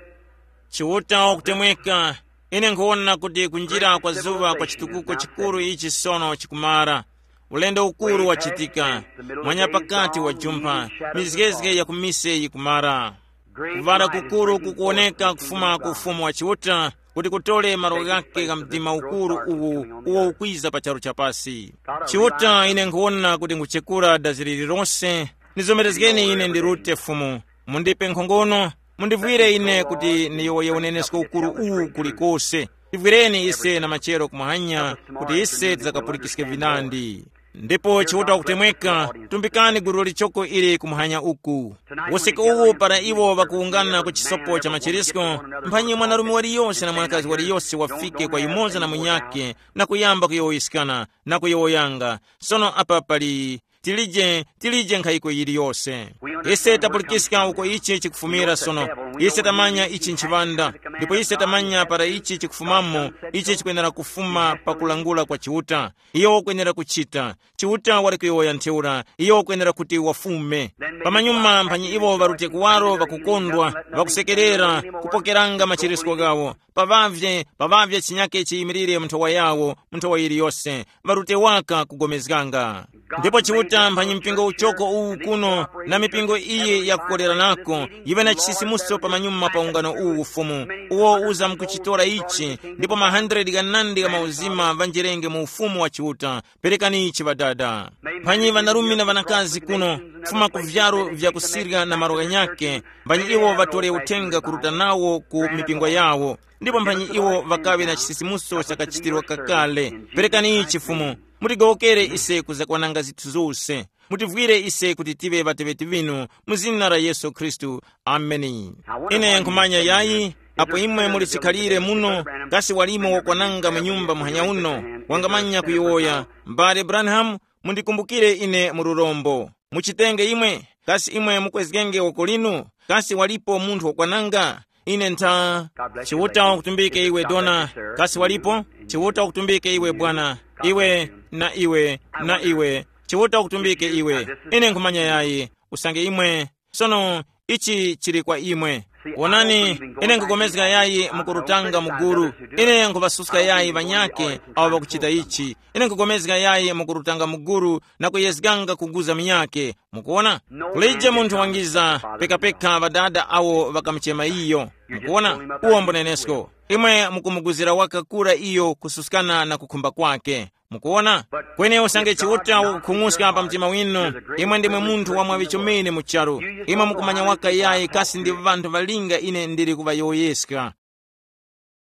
Chiuta wakutemweka, ine nkhuwona kuti kunjira kwa zuŵa kwa chitukuko chikuru ichi sono chikumara. Ulendo ukuru wachitika, mwanya pakati wa jumpha, mizgezge ya kumise yikumara. Kuvara kukuru kukuwoneka kufuma ku ufumu wa Chiuta, kuti kutole malo ghake gha mdima ukuru uwu uwo ukwiza pa charu cha pasi. Chiuta, ine nkhuwona kuti nguchekura dazi lililonse. Nizomerezgeni ine ndirute, Fumu. Mundipe nkhongono, mundivwire ine kuti niyowoye unenesko ukuru uwu kulikose. Tivwireni ise na machero kumwanya, kuti ise tidzakapulikiske vinandi. Ndipo Chiuta wakutemweka, tumbikani gulu lichoko ili kumuhanya uku. Usiku uwu para iwo ŵakuwungana ku chisopo cha machirisko, mphanyi mwanarume waliyose na mwanakazi waliyose wafike kwa yumoza na munyakhe, na kuyamba kuyowoyeskana, na kuyowoyanga. Sono apa pali, tilije, tilije nkhayiko yiliyose. Ise tapulikiska uko ichi chikufumira sono. Ise tamanya ichi nchiŵanda, ndipo ise tamanya para ichi chikufumamo, ichi chikwenera kufuma pa kulangula kwa Chiuta. Iyo ukwenera kuchita. Chiuta wali kuyowoya ntheura, iyo ukwenera kuti wafume. Pamanyuma mphanyi iwo ŵarute kuwaro ŵakukondwa, ŵakusekerera, kupokeranga machirisko ghawo. Paŵavye, paŵavye chinyake chiyimilire mu nthowa yawo, mu nthowa yiliyose, ŵarute waka kugomezganga. Ndipo Chiuta mphanyi mpingo uchoko uwu kuno, na mipingo iyi yakukoleranako, yiŵe na chisisimuso pamanyuma pa ungano uwu Fumu, uwo uza mukuchitora ichi, ndipo ma hundred ghanandi gha mauzima ŵanjerenge mu ufumu wa Chiuta. Perekani ichi Ŵadada. Mphanyi ŵanarume na ŵanakazi kuno, kufuma ku vyaro vya ku Siriya na malo ghanyakhe, mphanyi iwo ŵatore uthenga kuruta nawo ku mipingo yawo, ndipo mphanyi iwo ŵakaŵe na chisisimuso chakachitirwa kakale. Perekani ichi Fumu, mutigowokere ise kuzakwananga zinthu zose. Mutivwire ise kuti tive ŵateŵeti ŵinu, mu zina la Yesu Khristu. Ameni. Ine nkhumanya yayi, apo imwe muli chikhalire muno, kasi walimo wakwananga mu nyumba muhanya uno, wangamanya kuyowoya, M'bale Branham, mundikumbukire ine mu lurombo. Muchitenge imwe, kasi imwe mukwezgenge woko linu? Kasi walipo munthu wakwananga? Ine ntha. Chiuta wakutumbike iwe dona. Kasi walipo? Chiuta wakutumbike iwe bwana. Iwe, na iwe, na iwe. Chiuta wakutumbike iwe. Ine nkhumanya yayi, usange imwe. Sono, ichi chili kwa imwe. Wonani, ine nkugomezga yayi mukurutanga muguru. Ine nkuvasuska yayi ŵanyakhe awo ŵakuchita ichi. Ine nkugomezga yayi mukurutanga muguru, na kuyezganga kuguza munyakhe. Mukuona? Kulije munthu wangiza, pekapeka ŵadada awo ŵakamuchema iyo. Mukuona? Uwo mbunenesko. Imwe mukumuguzira wakakura iyo kususkana na kukhumba kwake. Mukuona? Kweni usange Chiuta wakukhung'uska pa mtima winu, imwe ndimwe munthu wa mwaŵi chomene mu charu. Imwe mukumanya waka yayi kasi ndi ŵanthu ŵalinga ine ndili kuŵayowoyeska.